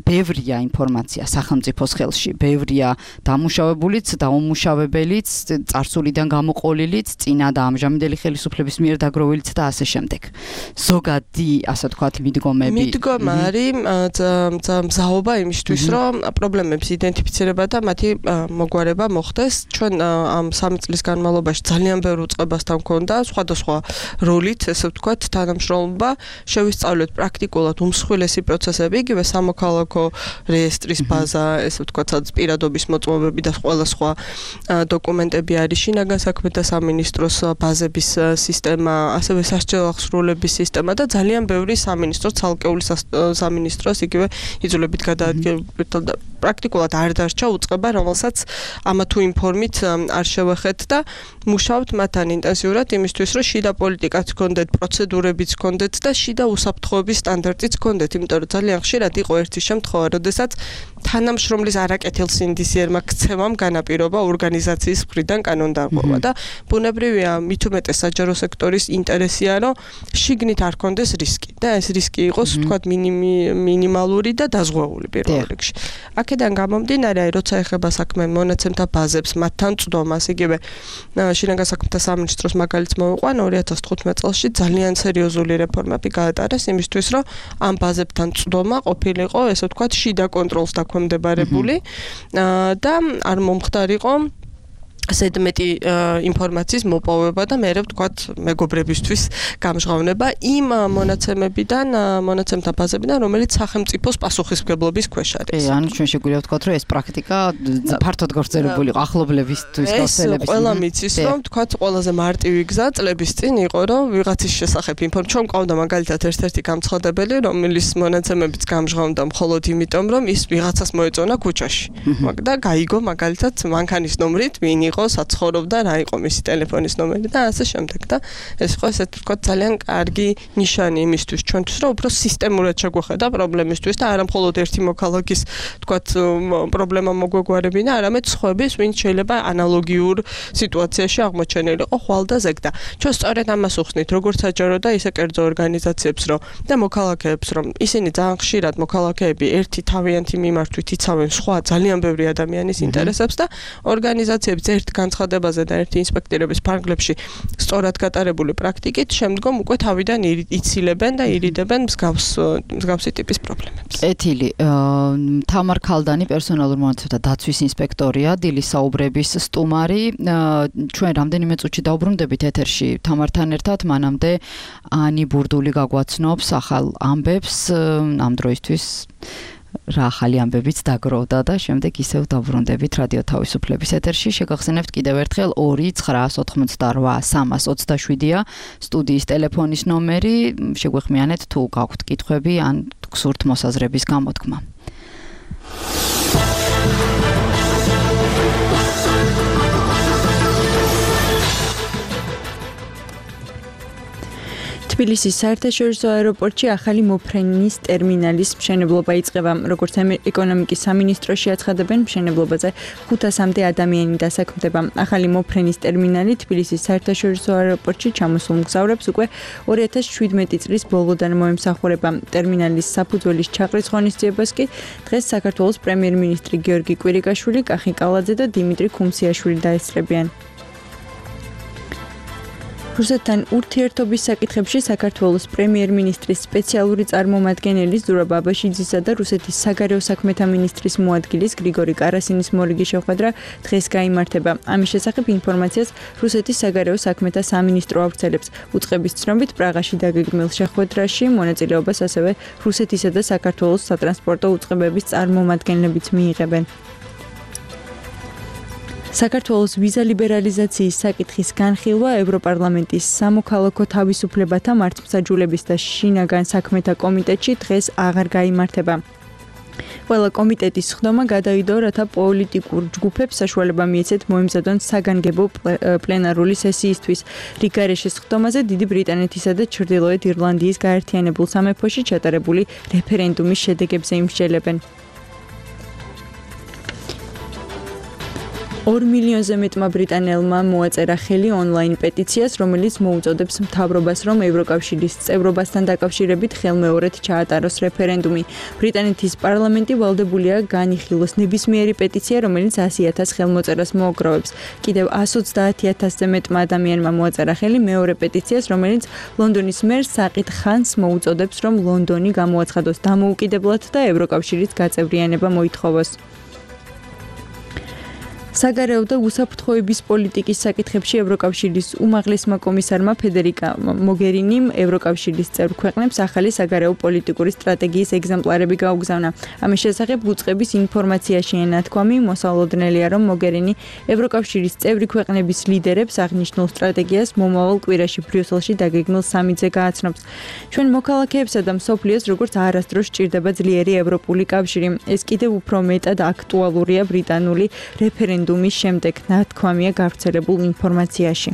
ბევრია ინფორმაცია სახელმწიფოს ხელში, ბევრია დამუშავებულიც, დაუმუშავებელიც, წარსულიდან გამოყოლილიც, წინა და ამჟამინდელი ხელისუფლების მიერ დაგროვილიც და ასე შემდეგ. ზოგადი ასე ვთქვათ მიდგომები. მიდგომა არის მზაობა იმისთვის, რომ პრობლემებს იდენტიფიცირება და მათი მოგვარება მოხდეს. ჩვენ ამ 3 წლის განმავლობაში ძალიან ბევრ უწყებასთან გვქონდა სხვადასხვა როლით, ესე ვთქვათ, თანამშრომლობა, შევისწავლეთ პრაქტიკულად უმსხვილესი პროცესები, იგივე სამოქალაქო რეესტრის ბაზა, ესე ვთქვათ, სადაც პირადობის მოწმობები და ყველა სხვა დოკუმენტები არის, შინაგან საქმეთა სამინისტროს ბაზების სისტემა, ასევე სასჯელო აღსრულების სისტემა და ძალიან ბევრი სამინისტროს, ცალკეული სამინისტროს იგივე იძულებით გადაადგილებულ და პრაქტიკულად არ დარჩა უწყება, რომელსაც ამა თუ იმ ფორმით არ შევეხეთ და მუშაობთ მათთან ინტენსიურად იმისთვის, რომ შიდა პოლიტიკაც გქონდეთ, პროცედურებიც გქონდეთ და შიდა უსაფრთხოების სტანდარტიც გქონდეთ, იმიტომ რომ ძალიან ხშირად იყო ერთი შემთხვევა, როდესაც თანამშრომლის არაკეთილსინდისიერმა ქცევამ განაპირობა ორგანიზაციის მხრიდან კანონდარღვევა და ბუნებრივია მით უმეტეს საჯარო სექტორის ინტერესია, რომ შიგნით არ ქონდეს რისკი და ეს რისკი იყოს ვთქვათ მინიმალური და დაზღვეული პირველ რიგში. აქედან გამომდინარე, როცა ეხება საქმე მონაცემთა ბაზებს, მათთან წვდომას, იგივე შინაგან საქმეთა სამინისტროს მაგალითს მოვიყვან 2015 წელს ძალიან სერიოზული რეფორმები გაატარეს იმისთვის, რომ ამ ბაზებთან წვდომა ყოფილიყო, ესე ვთქვათ, შიდა კონტროლს დაქვემდებარებული და არ მომხდარიყო ზედმეტი ინფორმაციის მოპოვება და მე ვთქვათ მეგობრებისთვის გამჟღავნება იმ მონაცემებიდან, მონაცემთა ბაზებიდან, რომელიც სახელმწიფოს პასუხისმგებლობის ქვეშ არის. ანუ ჩვენ შეგვიძლია ვთქვათ, რომ ეს პრაქტიკა ფართოდ გავრცელებული იყო ახლობლებისთვის, გავრცელების. ეს ყველა მიცის, რომ ვთქვათ, ყველაზე მარტივი გზა წლების წინ იყო, რომ ვიღაცის შესახებ ინფორმაცია ჩვენ ყავდა მაგალითად ერთ-ერთი გამცხადებელი, რომელიც მონაცემებიც გამჟღავნდა მხოლოდ იმიტომ, რომ ის ვიღაცას მოეწონა ქუჩაში. და გაიგო მაგალითად მანქანის ნომრით ვინ იყო საცხოვრობდა, რა იყო მისი ტელეფონის ნომერი და ასე შემდეგ და ეს იყო ესე ვთქვათ ძალიან კარგი ნიშანი იმისთვის ჩვენთვის, რომ უფრო სისტემურად შეგვეხედა პრობლემისთვის და არა მხოლოდ ერთი მოქალაქის ვთქვათ პრობლემა მოგვეგვარებინა, არამედ სხვების, ვინც შეიძლება ანალოგიურ სიტუაციაში აღმოჩენილიყო ხვალ და ზეგ და ჩვენ სწორედ ამას უხსნით, როგორც საჯარო და ისე კერძო ორგანიზაციებს, რომ და მოქალაქეებს, რომ ისინი ძალიან ხშირად მოქალაქეები ერთი თავიანთი მიმართვით იცავენ სხვა ძალიან ბევრი ადამიანის ინტერესებს და ორგანიზაციებს ერთ განცხადებაზე და ერთი ინსპექტირების ფარგლებში სწორად გატარებული პრაქტიკით შემდგომ უკვე თავიდან ცილებენ და ირიდებენ მსგავსი ტიპის პრობლემებს. ეთილი, თამარ ქალდანი პერსონალურ მონაცემთა დაცვის ინსპექტორია, დილის საუბრების სტუმარი. ჩვენ რამდენიმე წუთში დაუბრუნდებით ეთერში თამართან ერთად, მანამდე ანი ბურდული გაგვაცნობს ახალ ამბებს ამ დროისთვის. რა ახალი ამბებიც დაგროვდა და შემდეგ ისევ დავბრუნდებით რადიო თავისუფლების ეთერში. შეგახსენებთ კიდევ ერთხელ 2-988-327-ია სტუდიის ტელეფონის ნომერი. შეგვეხმიანეთ თუ გაქვთ კითხვები ან გსურთ მოსაზრების გამოთქმა. თბილისის საერთაშორისო აეროპორტში ახალი მოფრენის ტერმინალის მშენებლობა იწყება. როგორც ეკონომიკის სამინისტროში აცხადებენ, მშენებლობაზე 500-მდე ადამიანი დასაქმდება. ახალი მოფრენის ტერმინალი თბილისის საერთაშორისო აეროპორტში ჩამოსულ მგზავრებს უკვე 2017 წლის ბოლოდან მოემსახურება. ტერმინალის საფუძველის ჩაყრის ღონისძიებას კი დღეს საქართველოს პრემიერ-მინისტრი გიორგი კვირიკაშვილი, კახი კალაძე და დიმიტრი ქუმსიაშვილი დაესწრებიან. რუსეთთან ურთიერთობის საკითხებში საქართველოს პრემიერ-მინისტრის სპეციალური წარმომადგენელი ზურაბ ბაბაშიძისა და რუსეთის საგარეო საქმეთა მინისტრის მოადგილის გრიგორი კარასინის მორიგი შეხვედრა დღეს გაიმართება. ამის შესახებ ინფორმაციას რუსეთის საგარეო საქმეთა სამინისტრო ავრცელებს. უწყების ცნობით პრაღაში დაგეგმილ შეხვედრაში მონაწილეობას ასევე რუსეთისა და საქართველოს სატრანსპორტო უწყებების წარმომადგენლებიც მიიღებენ. საქართველოს ვიზა ლიბერალიზაციის საკითხის განხილვა ევროპარლამენტის სამოქალაქო თავისუფლებათა მართლმსაჯულების და შინაგან საქმეთა კომიტეტში დღეს აღარ გაიმართება. ყველა კომიტეტის ხდომა გადაიდო, რათა პოლიტიკურ ჯგუფებს საშუალება მიეცეთ მოემზადონ საგანგებო პლენარული სესიისთვის. რიგარეშის ხდომაზე დიდი ბრიტანეთისა და ჩრდილოეთ ირლანდიის გაერთიანებულ სამეფოში ჩატარებული რეფერენდუმის შედეგებზე იმსჯელებენ. 2 მილიონზე მეტმა ბრიტანელმა მოაწერა ხელი ონლაინ პეტიციას, რომელიც მოუწოდებს მთავრობას, რომ ევროკავშირის წევრობასთან დაკავშირებით ხელმეორედ ჩაატაროს რეფერენდუმი. ბრიტანეთის პარლამენტი ვალდებულია განიხილოს ნებისმიერი პეტიცია, რომელიც 100,000 ხელმოწერას მოაგროვებს. კიდევ 130,000-ზე მეტმა ადამიანმა მოაწერა ხელი მეორე პეტიციას, რომელიც ლონდონის მერს საყიდ ხანს მოუწოდებს, რომ ლონდონი გამოაცხადოს დამოუკიდებლად და ევროკავშირის გაწევრიანება მოითხოვოს. საგარეო და უსაფრთხოების პოლიტიკის საკითხებში ევროკავშირის უმაღლესმა კომისარმა ფედერიკა მოგერინიმ ევროკავშირის წევრ ქვეყნებს ახალი საგარეო პოლიტიკური სტრატეგიის ეგზემპლარები გაუგზავნა. ამის შესახებ უწყების ინფორმაციაში ენათქვამი მოსალოდნელია, რომ მოგერინი ევროკავშირის წევრი ქვეყნების ლიდერებს აღნიშნულ სტრატეგიას მომავალ კვირაში ბრიუსელში დაგეგმილ სამიტზე გააცნობს. ჩვენ მოქალაქეებსა და მსოფლიოს როგორც არასდროს სჭირდება ძლიერი ევროპული კავშირი. ეს კიდევ უფრო მეტად აქტუალურია ბრიტანული რეფერენდუმის შემდეგ, ნათქვამია გავრცელებულ ინფორმაციაში.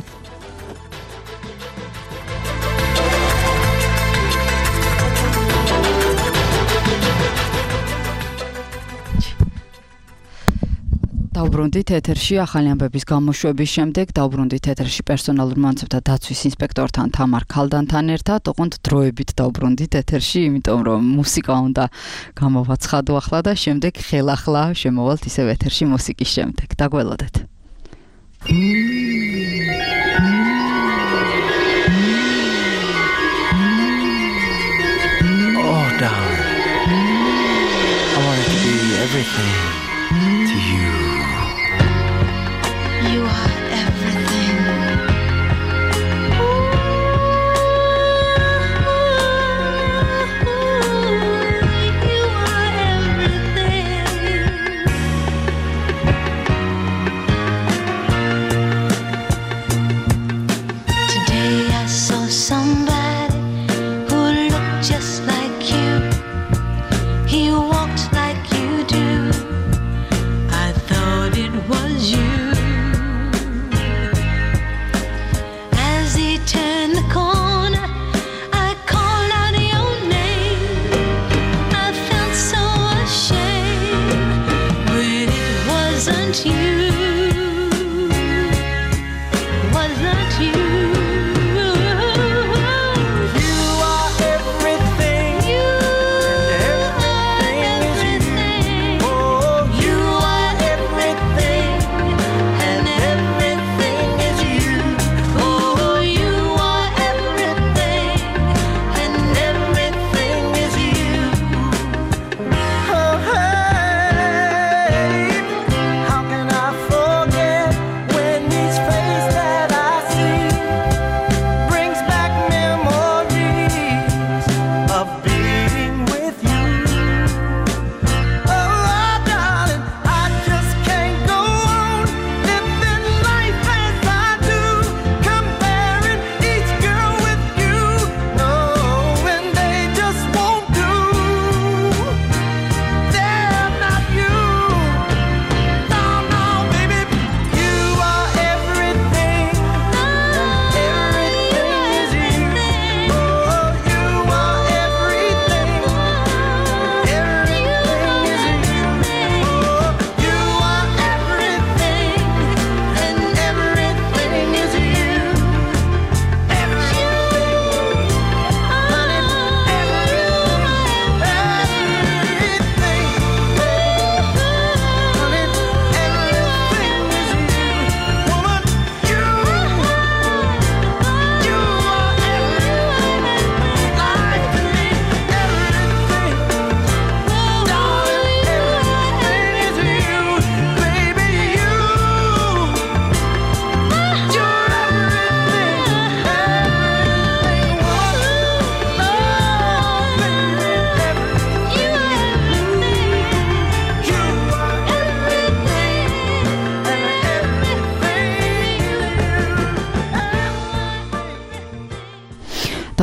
დავბრუნდით ეთერში ახალი ამბების გამოშვების შემდეგ, დავბრუნდით ეთერში პერსონალურ მონაცემთა დაცვის ინსპექტორთან თამარ ქალდანთან ერთად, ოღონდ დროებით დავბრუნდით ეთერში, იმიტომ რომ მუსიკა უნდა გამოვაცხადო ახლა და შემდეგ ხელახლა შემოვალთ ისევ ეთერში მუსიკის შემდეგ. დაგველოდეთ. Oh, darling, I wanted to be everything to you. You are everything. You are everything. Today I saw somebody who looked just like you. He walked like you do.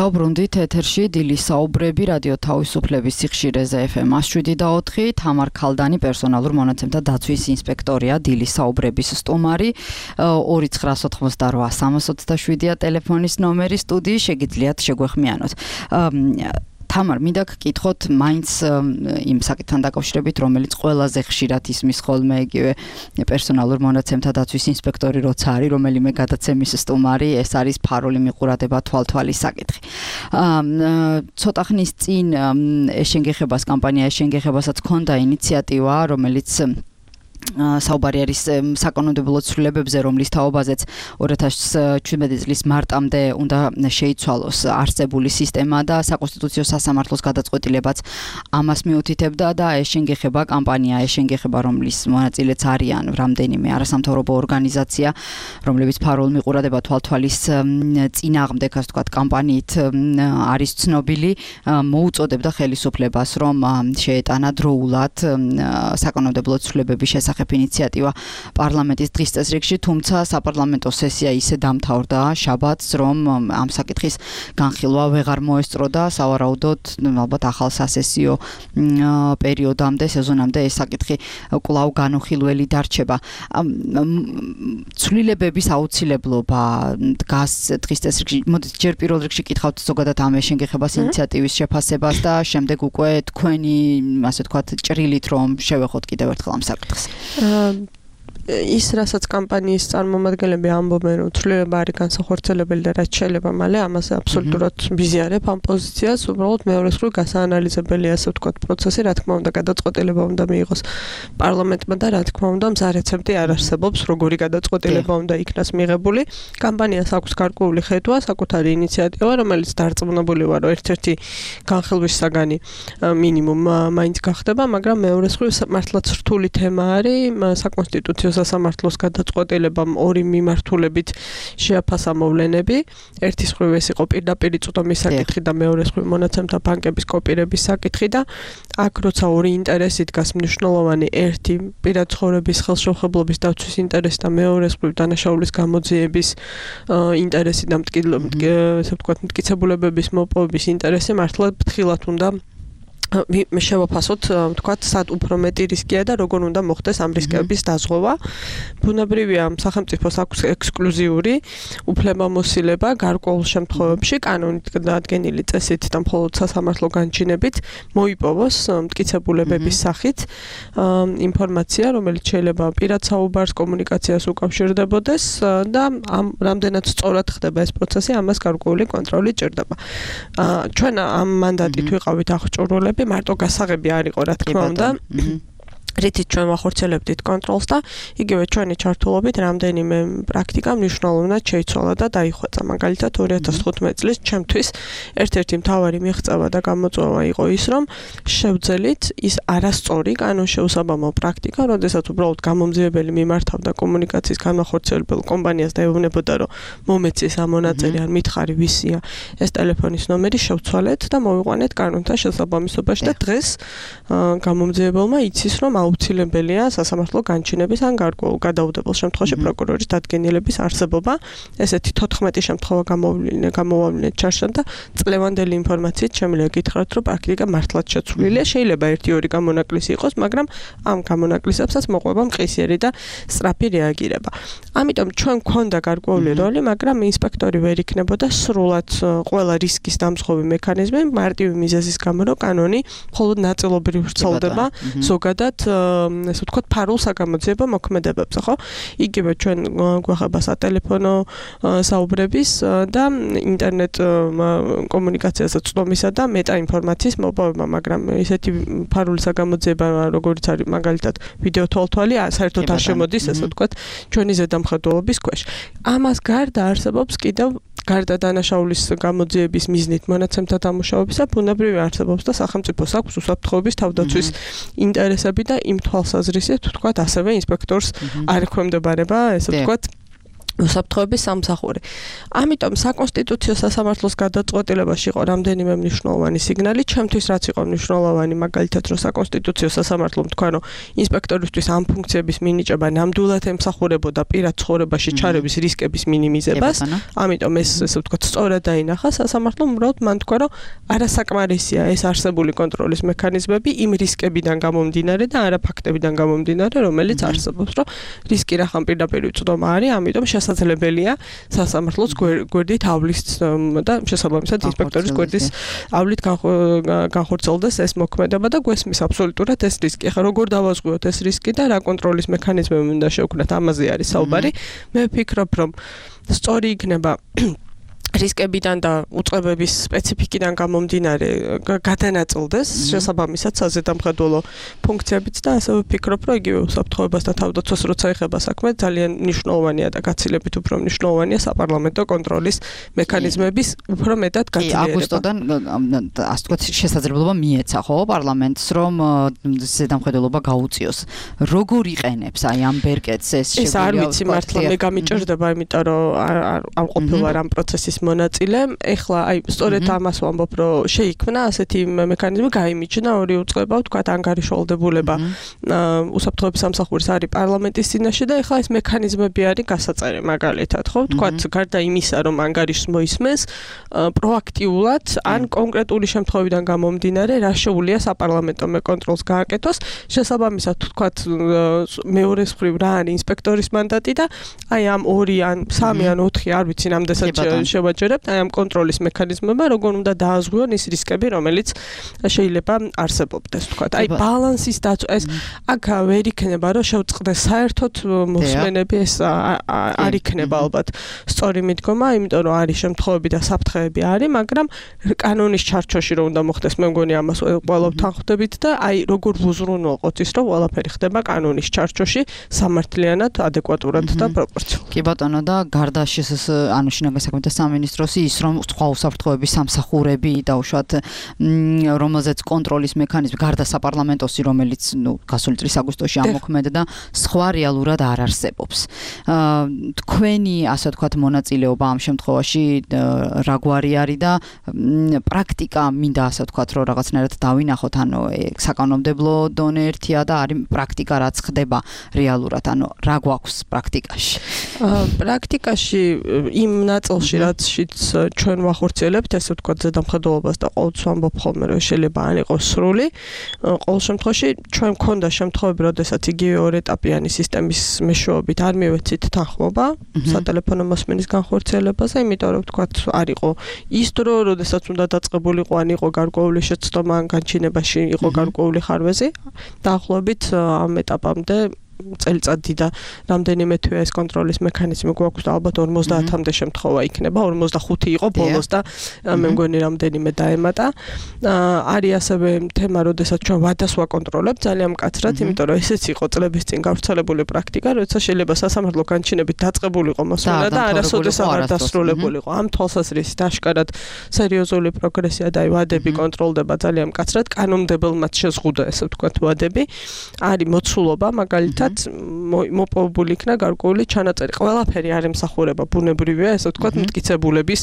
დაუბრუნდით ეთერში დილის საუბრები რადიო თავისუფლების სიხშირეზე FM 107.4 თამარ ქალდანი პერსონალურ მონაცემთა დაცვის ინსპექტორია დილის საუბრების სტუმარი 2988 327-ია ტელეფონის ნომერი სტუდიის შეგიძლიათ შეგვეხმიანოთ თამარ მინდა გკითხოთ მაინც იმ საკითხთან დაკავშირებით რომელიც ყველაზე ხშირად ისმის ხოლმე იგივე პერსონალურ მონაცემთა დაცვის ინსპექტორი როცა არის რომელიმე გადაცემის სტუმარი ეს არის ფარული მიყურადება თვალთვალის საკითხი ცოტა ხნის წინ ეშენგეხებას კამპანია ეშენგეხებასაც ჰქონდა ინიციატივა რომელიც საუბარი არის საკანონმდებლო ცვლილებებზე რომლის თაობაზეც 2017 წლის მარტამდე უნდა შეიცვალოს არსებული სისტემა და საკონსტიტუციო სასამართლოს გადაწყვეტილებაც ამას მიუთითებდა და ეშენგეხება კამპანია ეშენგეხება რომლის მონაწილეც არიან რამდენიმე არასამთავრობო ორგანიზაცია რომლებიც ფარულ მიყურადება თვალთვალის წინააღმდეგ ასე ვთქვათ კამპანიით არის ცნობილი მოუწოდებდა ხელისუფლებას რომ შეეტანა დროულად საკანონმდებლო ცვლილებების შესახებ ინიციატივა პარლამენტის დღის წესრიგში, თუმცა საპარლამენტო სესია ისე დამთავრდა შაბათს, რომ ამ საკითხის განხილვა ვეღარ მოესწრო და სავარაუდოდ ალბათ ახალ სასესიო პერიოდამდე, სეზონამდე ეს საკითხი კვლავ განუხილველი დარჩება. ცვლილებების აუცილებლობა დგას დღის წესრიგში. მოდით ჯერ პირველ რიგში კითხავთ ზოგადად ამ ეშენგეხებას ინიციატივის შეფასებას და შემდეგ უკვე თქვენი, ასე ვთქვათ, ჭრილით რომ შევეხოთ კიდევ ერთხელ ამ საკითხს. ის რასაც კამპანიის წარმომადგენლები ამბობენ რომ ცვლილება არის განსახორციელებელი და რაც შეიძლება მალე ამაზე აბსოლუტურად ვიზიარებ ამ პოზიციას უბრალოდ მეორე მხრივ გასაანალიზებელი ასე ვთქვათ პროცესი რა თქმა უნდა გადაწყვეტილება უნდა მიიღოს პარლამენტმა და რა თქმა უნდა მზა რეცეპტი არ არსებობს როგორი გადაწყვეტილება უნდა იქნას მიღებული კამპანიას აქვს გარკვეული ხედვა საკუთარი ინიციატივა რომელიც დარწმუნებული ვარ რომ ერთ-ერთი განხილვის საგანი მინიმუმ მაინც გახდება მაგრამ მეორე მხრივ მართლაც რთული თემა არის საკონსტიტუციო სასამართლოს გადაწყვეტილებამ ორი მიმართულებით შეაფასა მოვლენები. ერთი მხრივ ეს იყო პირდაპირ წვდომის საკითხი და მეორე მხრივ მონაცემთა ბანკების კოპირების საკითხი და აქ როცა ორი ინტერესი დგას მნიშვნელოვანი ერთი პირად ცხოვრების ხელშეუხებლობის დაცვის ინტერესი და მეორე მხრივ დანაშაულის გამოძიების ინტერესი და ესე ვთქვათ მტკიცებულებების მოპოვების ინტერესი მართლა ფრთხილად უნდა შევაფასოთ, ვთქვათ, სად უფრო მეტი რისკია და როგორ უნდა მოხდეს ამ რისკების დაზღვევა. ბუნებრივია, სახელმწიფოს აქვს ექსკლუზიური უფლებამოსილება გარკვეულ შემთხვევებში კანონით დადგენილი წესით და მხოლოდ სასამართლო განჩინებით მოიპოვოს მტკიცებულებების სახით ინფორმაცია, რომელიც შეიძლება პირად საუბარს, კომუნიკაციას უკავშირდებოდეს და რამდენად სწორად ხდება ეს პროცესი, ამას გარკვეული კონტროლი ჭირდება. ჩვენ ამ მანდატით ვიყავით აღჭურვილები მარტო გასაღები არ იყო რა თქმა უნდა რითიც ჩვენ ვახორციელებდით კონტროლს და იგივე ჩვენი ჩართულობით რამდენიმე პრაქტიკა მნიშვნელოვნად შეიცვალა და დაიხვეწა. მაგალითად 2015 წლის ჩემთვის ერთ-ერთი მთავარი მიღწევა და გამოწვევა იყო ის, რომ შევძელით ის არასწორი კანონშეუსაბამო პრაქტიკა, როდესაც უბრალოდ გამომძიებელი მიმართავდა კომუნიკაციის განმახორციელებელ კომპანიას და ეუბნებოდა, რომ მომეცეს ამ მონაწილე ან მითხარი ვისია ეს ტელეფონის ნომერი შევცვალეთ და მოვიყვანეთ კანონთან შესაბამისობაში და დღეს გამომძიებელმა იცის, რომ აუცილებელია სასამართლო განჩინების ან გარკვეულ გადაუდებელ შემთხვევაში პროკურორის დადგენილების არსებობა. ესეთი 14 შემთხვევა გამოვავლინეთ ჩარშან და წლევანდელი ინფორმაციით შემიძლია გითხრათ, რომ პრაქტიკა მართლაც შეცვლილია. შეიძლება 1-2 გამონაკლისი იყოს, მაგრამ ამ გამონაკლისებსაც მოყვება მყისიერი და სწრაფი რეაგირება. ამიტომ ჩვენ გვქონდა გარკვეული როლი, მაგრამ ინსპექტორი ვერ იქნებოდა სრულად ყველა რისკის დამზღვევი მექანიზმი მარტივი მიზეზის გამო, რომ კანონი მხოლოდ ნაწილობრივ ვრცელდება ზოგადად ესე ვთქვათ ფარულ საგამოძიებო მოქმედებებზე, ხო? იგივე ჩვენ გვეხება სატელეფონო საუბრების და ინტერნეტ კომუნიკაციაზე წვდომისა და მეტა ინფორმაციის მოპოვება, მაგრამ ესეთი ფარული საგამოძიება, როგორც არის მაგალითად ვიდეო თვალთვალი, საერთოდ არ შემოდის, ესე ვთქვათ, ჩვენი ზედამხედველობის ქვეშ. ამას გარდა არსებობს კიდევ გარდა დანაშაულის გამოძიების მიზნით მონაცემთა დამუშავებისა, ბუნებრივი არსებობს და სახელმწიფოს აქვს უსაფრთხოების თავდაცვის ინტერესები და იმ თვალსაზრისით, ვთქვათ, ასევე ინსპექტორს არ ექვემდებარება, ესე ვთქვათ, უსაფრთხოების სამსახური. ამიტომ საკონსტიტუციო სასამართლოს გადაწყვეტილებაში იყო რამდენიმე მნიშვნელოვანი სიგნალი, ჩემთვის რაც იყო მნიშვნელოვანი, მაგალითად, რომ საკონსტიტუციო სასამართლომ თქვა, რომ ინსპექტორისთვის ამ ფუნქციების მინიჭება ნამდვილად ემსახურებოდა პირად ცხოვრებაში ჩარევის რისკების მინიმიზებას. ამიტომ ეს ესე ვთქვათ, სწორად დაინახა სასამართლომ, უბრალოდ მან თქვა, რომ არასაკმარისია ეს არსებული კონტროლის მექანიზმები იმ რისკებიდან გამომდინარე და არა ფაქტებიდან გამომდინარე, რომელიც არსებობს, რომ რისკი რახან პირდაპირ უწვდომა არის, ამიტომ შესაძლებელია სასამართლოს გვერდით ავლის და შესაბამისად ინსპექტორის გვერდისავლით განხორციელდეს ეს მოქმედება და გვესმის აბსოლუტურად ეს რისკი. ახლა როგორ დავაზღვიოთ ეს რისკი და რა კონტროლის მექანიზმები უნდა შევქმნათ, ამაზე არის საუბარი. მე ვფიქრობ, რომ სწორი იქნება რისკებიდან და უწყებების სპეციფიკიდან გამომდინარე გადანაწილდეს შესაბამისად საზედამხედველო ფუნქციებიც და ასევე ვფიქრობ, რომ იგივე უსაფრთხოებასთან თავდაცვას როცა ეხება საქმე, ძალიან მნიშვნელოვანია და გაცილებით უფრო მნიშვნელოვანია საპარლამენტო კონტროლის მექანიზმების უფრო მეტად გაძლიერება. აგვისტოდან ასე ვთქვათ შესაძლებლობა მიეცა ხო პარლამენტს, რომ ზედამხედველობა გაუწიოს. როგორ იყენებს აი ამ ბერკეტს ეს შეგვიძლია? ეს არ ვიცი მართლა, მე გამიჭირდება, იმიტომ რომ არ ყოფილა ამ პროცესის მონაწილე. ეხლა აი სწორედ ამას ვამბობ, რომ შეიქმნა ასეთი მექანიზმი, გაიმიჯნა ორი უწყება, ვთქვათ, ანგარიშვალდებულება უსაფრთხოების სამსახურის არის პარლამენტის წინაშე და ეხლა ეს მექანიზმები არის გასაწერი, მაგალითად, ხო? ვთქვათ, გარდა იმისა, რომ ანგარიშს მოისმენს, პროაქტიულად ან კონკრეტული შემთხვევიდან გამომდინარე, რა შეუძლია საპარლამენტო კონტროლს გააკეთოს, შესაბამისად, ვთქვათ, მეორე მხრივ რა არის ინსპექტორის მანდატი და აი ამ 2 ან 3 ან 4 არ ვიცი რამდენად შევაჯერებთ აი ამ კონტროლის მექანიზმებმა, როგორ უნდა დააზღვიონ ის რისკები, რომელიც შეიძლება არსებობდეს, ვთქვათ. აი ბალანსის დაცვა ეს აქ ვერ იქნება, რომ შევწყდეს საერთოდ მოსმენები, ეს არ იქნება ალბათ სწორი მიდგომა, იმიტომ რომ არის შემთხვევები და საფრთხეები არის, მაგრამ კანონის ჩარჩოში რომ უნდა მოხდეს, მე მგონი ამას ყველაფერთან ხვდებით და აი როგორ ვუზრუნველყოთ ის, რომ ყველაფერი ხდება კანონის ჩარჩოში, სამართლიანად, ადეკვატურად და პროპორციულად. კი ბატონო და გარდა ანუ შინაგან საქმეთა სამინისტროს ის რომ სხვა უსაფრთხოების სამსახურები და უშუალოდ რომელზეც კონტროლის მექანიზმი გარდა საპარლამენტოსი, რომელიც გასული წლის აგვისტოში ამოქმედა, სხვა რეალურად არ არსებობს. თქვენი ასე ვთქვათ მონაწილეობა ამ შემთხვევაში რა გვარი არის და პრაქტიკა მინდა ასე ვთქვათ, რომ რაღაცნაირად დავინახოთ, ანუ საკანონმდებლო დონე ერთია და არის პრაქტიკა რაც ხდება რეალურად, ანუ რა გვაქვს პრაქტიკაში? პრაქტიკაში იმ ნაწილში რაცშიც ჩვენ ვახორციელებთ, ესე ვთქვათ, ზედამხედველობას და ყოველთვის ვამბობ ხოლმე, რომ შეიძლება არ იყოს სრული. ყოველ შემთხვევაში ჩვენ მქონდა შემთხვევები, როდესაც იგივე ორეტაპიანი სისტემის მეშვეობით არ მივეცით თანხმობა სატელეფონო მოსმენის განხორციელებაზე, იმიტომ რომ ვთქვათ, არ იყო ის დრო, როდესაც უნდა დაწყებულიყო, ან იყო გარკვეული შეცდომა, ან განჩინებაში იყო გარკვეული ხარვეზი. დაახლოებით ამ ეტაპამდე წელიწადი და რამდენიმე თვე ეს კონტროლის მექანიზმი გვაქვს და ალბათ 50-მდე შემთხვევა იქნება, 45 იყო ბოლოს და მე მგონი რამდენიმე დაემატა. არის ასევე თემა, როდესაც ჩვენ ვადას ვაკონტროლებთ ძალიან მკაცრად, იმიტომ რომ ესეც იყო წლების წინ გავრცელებული პრაქტიკა, როცა შეიძლება სასამართლო განჩინებით დაწყებულიყო მოსმენა და არასოდეს აღარ დასრულებულიყო. ამ თვალსაზრისით აშკარად სერიოზული პროგრესია და ვადები კონტროლდება ძალიან მკაცრად, კანონმდებელმაც შეზღუდა, ესე ვთქვათ, ვადები. არის მოცულობა, მაგალითად მოპოვებული იქნა გარკვეული ჩანაწერი. ყველაფერი არ ემსახურება, ბუნებრივია, ესე ვთქვათ, მტკიცებულების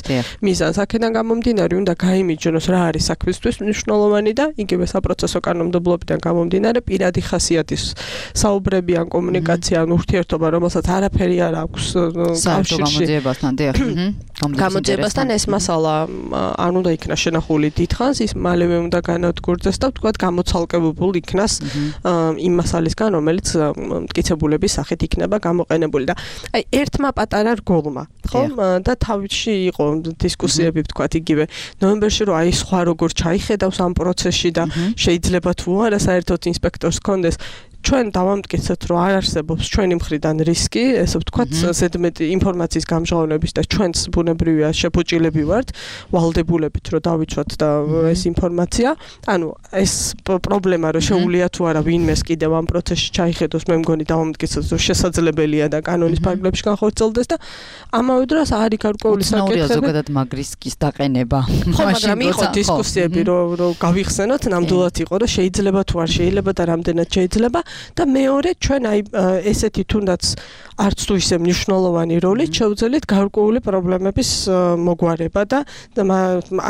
მიზანს. აქედან გამომდინარე, უნდა გაიმიჯნოს რა არის საქმისთვის მნიშვნელოვანი და იგივე საპროცესო კანონმდებლობიდან გამომდინარე, პირადი ხასიათის საუბრები ან კომუნიკაცია ან ურთიერთობა, რომელსაც არაფერი არ აქვს კავშირში გამოძიებასთან, ეს მასალა არ უნდა იქნა შენახული დიდხანს, ის მალევე უნდა განადგურდეს და ვთქვათ, გამოცალკებულ იქნას იმ მასალისგან, რომელიც მტკიცებულების სახით იქნება გამოყენებული და აი ერთმა პატარა რგოლმა, ხო? და თავში იყო დისკუსიები, ვთქვათ, იგივე ნოემბერში, რომ აი სხვა როგორ ჩაიხედავს ამ პროცესში და შეიძლება თუ არა საერთოდ ინსპექტორს კონდეს. ჩვენ დავამტკიცეთ, რომ არ არსებობს ჩვენი მხრიდან რისკი, ესე ვთქვათ, ზედმეტი ინფორმაციის გამჟღავნების და ჩვენც ბუნებრივია შეფუჭილები ვართ, ვალდებულებით, რომ დავიცვათ და ეს ინფორმაცია. ანუ ეს პრობლემა, რომ შეუძლია თუ არა ვინმეს კიდევ ამ პროცესში ჩაიხედოს, მე მგონი დავამტკიცეთ, რომ შესაძლებელია და კანონის ფარგლებში განხორციელდეს და ამავე დროს არის გარკვეული საკითხები. ზოგადად მაგ რისკის დაყენება. ხო, მაგრამ იყო დისკუსიები, რომ გავიხსენოთ, ნამდვილად იყო, რომ შეიძლება თუ არ შეიძლება და რამდენად შეიძლება. და მეორე ჩვენ აი ესეთი თუნდაც არც თუ ისე მნიშვნელოვანი როლით შევძელით გარკვეული პრობლემების მოგვარება და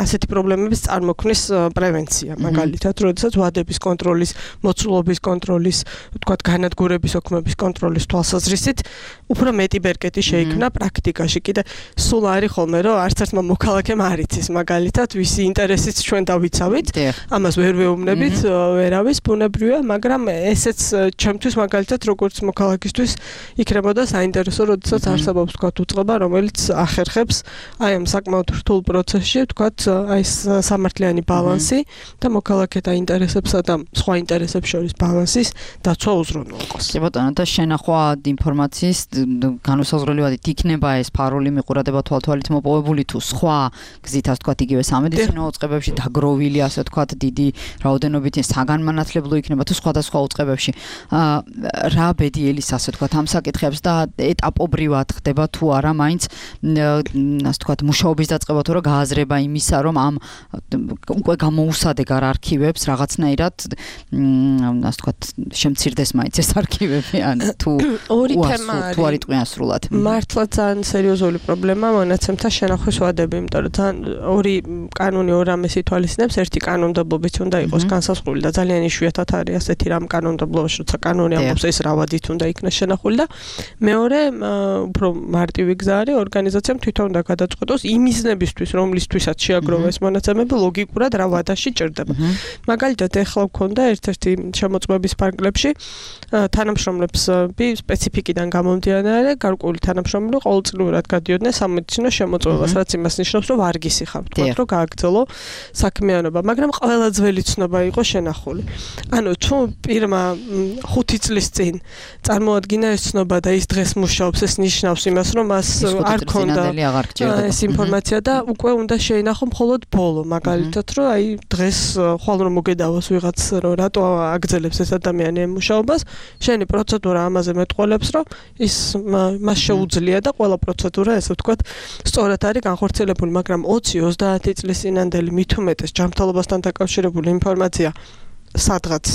ასეთი პრობლემების წარმოქმნის პრევენცია, მაგალითად, როდესაც ვადების კონტროლის, მოცულობის კონტროლის, ვთქვათ, განადგურების ოქმების კონტროლის თვალსაზრისით უფრო მეტი ბერკეტი შეიქმნა პრაქტიკაში. კიდე სულ არის ხოლმე, რომ არც ერთმა მოქალაქემ არ იცის, მაგალითად, ვისი ინტერესიც ჩვენ დავიცავით, ამას ვერ ვეუბნებით, ვერავის ბუნებრივია, მაგრამ ესეც ჩემთვის მაგალითად როგორც მოქალაქისთვის იქნებოდა საინტერესო, როდესაც არსებობს თქვათ უწყება, რომელიც ახერხებს აი ამ საკმაოდ რთულ პროცესში, თქვათ, აი სამართლიანი ბალანსი და მოქალაქეთა ინტერესებსა და სხვა ინტერესებს შორის ბალანსის დაცვა უზრუნველყოს. კი ბატონო, და შენახვა ინფორმაციის განუსაზღვრელივად იქნება ეს ფარული მიყურადება თვალთვალით მოპოვებული თუ სხვა გზითაც თქვათ იგივე სამედიცინო უწყებებში დაგროვილი, ასე თქვათ, დიდი რაოდენობით საგანმანათლებლო იქნება თუ სხვადასხვა უწყებებში. რა ბედიელის ასე თქვათ ამ საკითხებს და ეტაპობრივად ხდება თუ არა მაინც ასე თქვათ მუშაობის დაწყება თუ რა გააზრება იმისა, რომ ამ უკვე გამოუსადეგ არქივებს რაღაცნაირად ასე თქვათ შემცირდეს მაინც ეს არქივები ან თუ ორი თემა არის. თუ არ იტყვიან სრულად. მართლა ძალიან სერიოზული პრობლემაა მონაცემთა შენახვის ვადები, იმიტომ რომ ძალიან ორი კანონი ორ ამას ითვალისწინებს, ერთი კანონმდებლობით უნდა იყოს განსაზღვრული და ძალიან იშვიათად არის ასეთი რამ კანონმდებლობაში, როცა კანონი ამბობს ეს რა ვადით უნდა იქნას შენახული და მეორე უფრო მარტივი გზა არის ორგანიზაციამ თვითონ უნდა გადაწყვეტოს იმ მიზნებისთვის, რომლისთვისაც შეაგროვა ეს მონაცემები, ლოგიკურად რა ვადაში ჭირდება. მაგალითად, ეხლა ვქონდა ერთ-ერთი შემოწმების ფარგლებში თანამშრომლები სპეციფიკიდან გამომდინარე, გარკვეული თანამშრომლები ყოველწლიურად გადიოდნენ სამედიცინო შემოწმებას, რაც იმას ნიშნავს, რომ ვარგისი ხარ, თქვათ, რომ გააგრძელო საქმიანობა, მაგრამ ყველა ძველი ცნობა იყო შენახული. ანუ თუ პირმა 5 წლის წინ წარმოადგინა ეს ცნობა და ის დღეს მუშაობს, ეს ნიშნავს იმას, რომ მას არ ქონდა ეს ინფორმაცია და უკვე უნდა შეინახო მხოლოდ ბოლო, მაგალითად, რომ აი დღეს ხვალ რომ მოგედავოს ვიღაც, რომ რატო აგრძელებს ეს ადამიანი მუშაობას, შენი პროცედურა ამაზე მეტყველებს, რომ ის მას შეუძლია და ყველა პროცედურა, ესე ვთქვათ, სწორად არის განხორციელებული, მაგრამ 20-30 წლის წინანდელი მით უმეტეს ჯანმრთელობასთან დაკავშირებული ინფორმაცია სადღაც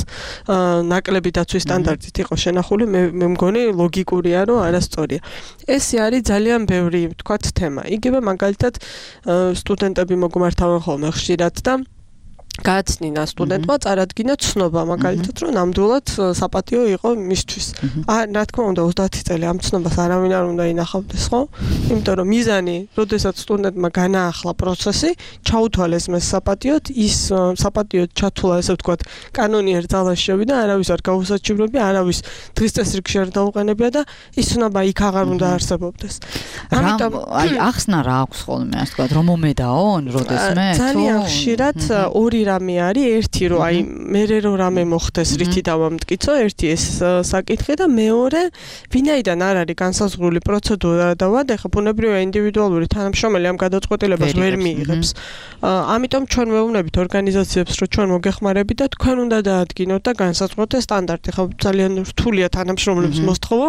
ნაკლები დაცვის სტანდარტით იყო შენახული, მე მგონი ლოგიკურია, რომ არასწორია. ეს არის ძალიან ბევრი, ვთქვათ, თემა. იგივე მაგალითად სტუდენტები მოგმართავენ ხოლმე ხშირად და გააცნინა სტუდენტმა წარადგინა ცნობა, მაგალითად, რომ ნამდვილად საპატიო იყო მისთვის. რა თქმა უნდა, 30 წელი ამ ცნობას არავინ არ უნდა ინახავდეს, ხო? იმიტომ რომ მიზანი, როდესაც სტუდენტმა განაახლა პროცესი, ჩაუთვალეს მას საპატიოდ, ის საპატიოდ ჩათვლა, ესე ვთქვათ, კანონიერ ძალაში შევიდა, არავის არ გაუსაჩივრებია, არავის დღის წესრიგში არ დაუყენებია და ის ცნობა იქ აღარ უნდა არსებობდეს. ამიტომ აი ახსნა რა აქვს ხოლმე, ასე ვთქვათ, რომ მომედაონ, როდესმე? ძალიან ხშირად ორი რამე არის, ერთი რომ აი მე რომ რამე მოხდეს, რითი დავამტკიცო, ერთი ეს საკითხი და მეორე, ვინაიდან არ არის განსაზღვრული პროცედურა და ვადა, ხა ბუნებრივია ინდივიდუალური თანამშრომელი ამ გადაწყვეტილებას ვერ მიიღებს. ამიტომ ჩვენ ვეუბნებით ორგანიზაციებს, რომ ჩვენ მოგეხმარებით და თქვენ უნდა დაადგინოთ და განსაზღვროთ ეს სტანდარტი. ხა ძალიან რთულია თანამშრომლებს მოსთხოვო,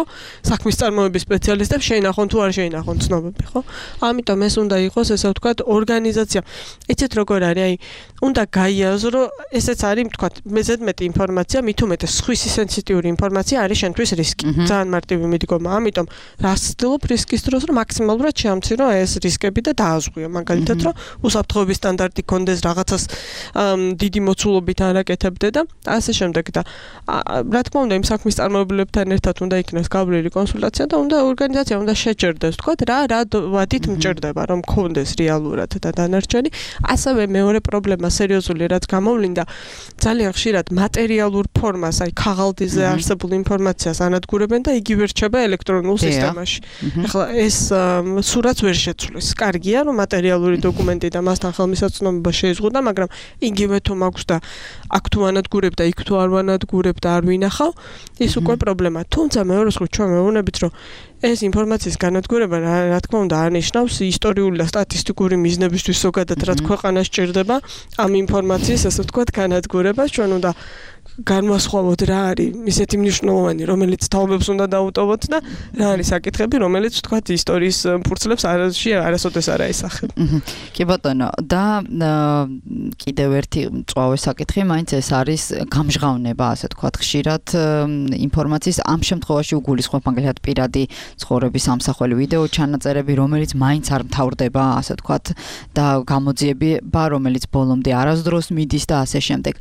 საქმის წარმოების სპეციალისტებს შეინახონ თუ არ შეინახონ ცნობები, ხო? ამიტომ ეს უნდა იყოს, ესე ვთქვათ, ორგანიზაცია. იცით როგორ არის, აი უნდა გაიაზრო, ესეც არის, თქვათ, მეზედმეტი ინფორმაცია, მით უმეტეს სხვისი სენსიტიური ინფორმაცია არის შენთვის რისკი. ძალიან მარტივი მიდგომა. ამიტომ რას ვცდილობ რისკის დროს, რომ მაქსიმალურად შეამცირო ეს რისკები და დააზღვიო. მაგალითად, რომ უსაფრთხოების სტანდარტი კონდეს რაღაცას დიდი მოცულობით არ აკეთებდე და ასე შემდეგ და რა თქმა უნდა, იმ საქმის წარმომადგენლებთან ერთად უნდა იქნას გავლილი კონსულტაცია და უნდა ორგანიზაცია უნდა შეჭერდეს, თქვათ, რა ვადით მჭირდება, რომ კონდეს რეალურად და დანარჩენი. ასევე მეორე პრობლემა სერიოზული რაც გამოვლინდა, ძალიან ხშირად მატერიალურ ფორმას, აი ქაღალდიზე არსებულ ინფორმაციას ანადგურებენ და იგივე რჩება ელექტრონულ სისტემაში. ახლა ეს სურათს ვერ შეცვლის. კარგია, რომ მატერიალური დოკუმენტი და მასთან ხელმისაწვდომობა შეიზღუდა, მაგრამ იგივე თუ მაქვს და აქ თუ ანადგურებ და იქ თუ არ ვანადგურებ და არ ვინახავ, ის უკვე პრობლემაა. თუმცა მეორე მხრივ ჩვენ მეუბნებით, რომ ეს ინფორმაციის განადგურება რა თქმა უნდა არნიშნავს ისტორიული და სტატისტიკური მიზნებისთვის ზოგადად რაც ქვეყანას ჭირდება ამ ინფორმაციის, ასე ვთქვათ, განადგურებას. ჩვენ უნდა განვასხვავოთ რა არის ისეთი მნიშვნელოვანი, რომელიც თაობებს უნდა დაუტოვოთ და რა არის საკითხები, რომელიც ვთქვათ ისტორიის ფურცლებს არასოდეს არ აისახება. კი ბატონო, და კიდევ ერთი მწვავე საკითხი, მაინც ეს არის გამჟღავნება, ასე ვთქვათ, ხშირად ინფორმაციის ამ შემთხვევაში უგულისხმობ მაგალითად პირადი ცხოვრების ამსახველი ვიდეო ჩანაწერები, რომელიც მაინც არ მთავრდება, ასე ვთქვათ, და გამოძიება, რომელიც ბოლომდე არასდროს მიდის და ასე შემდეგ.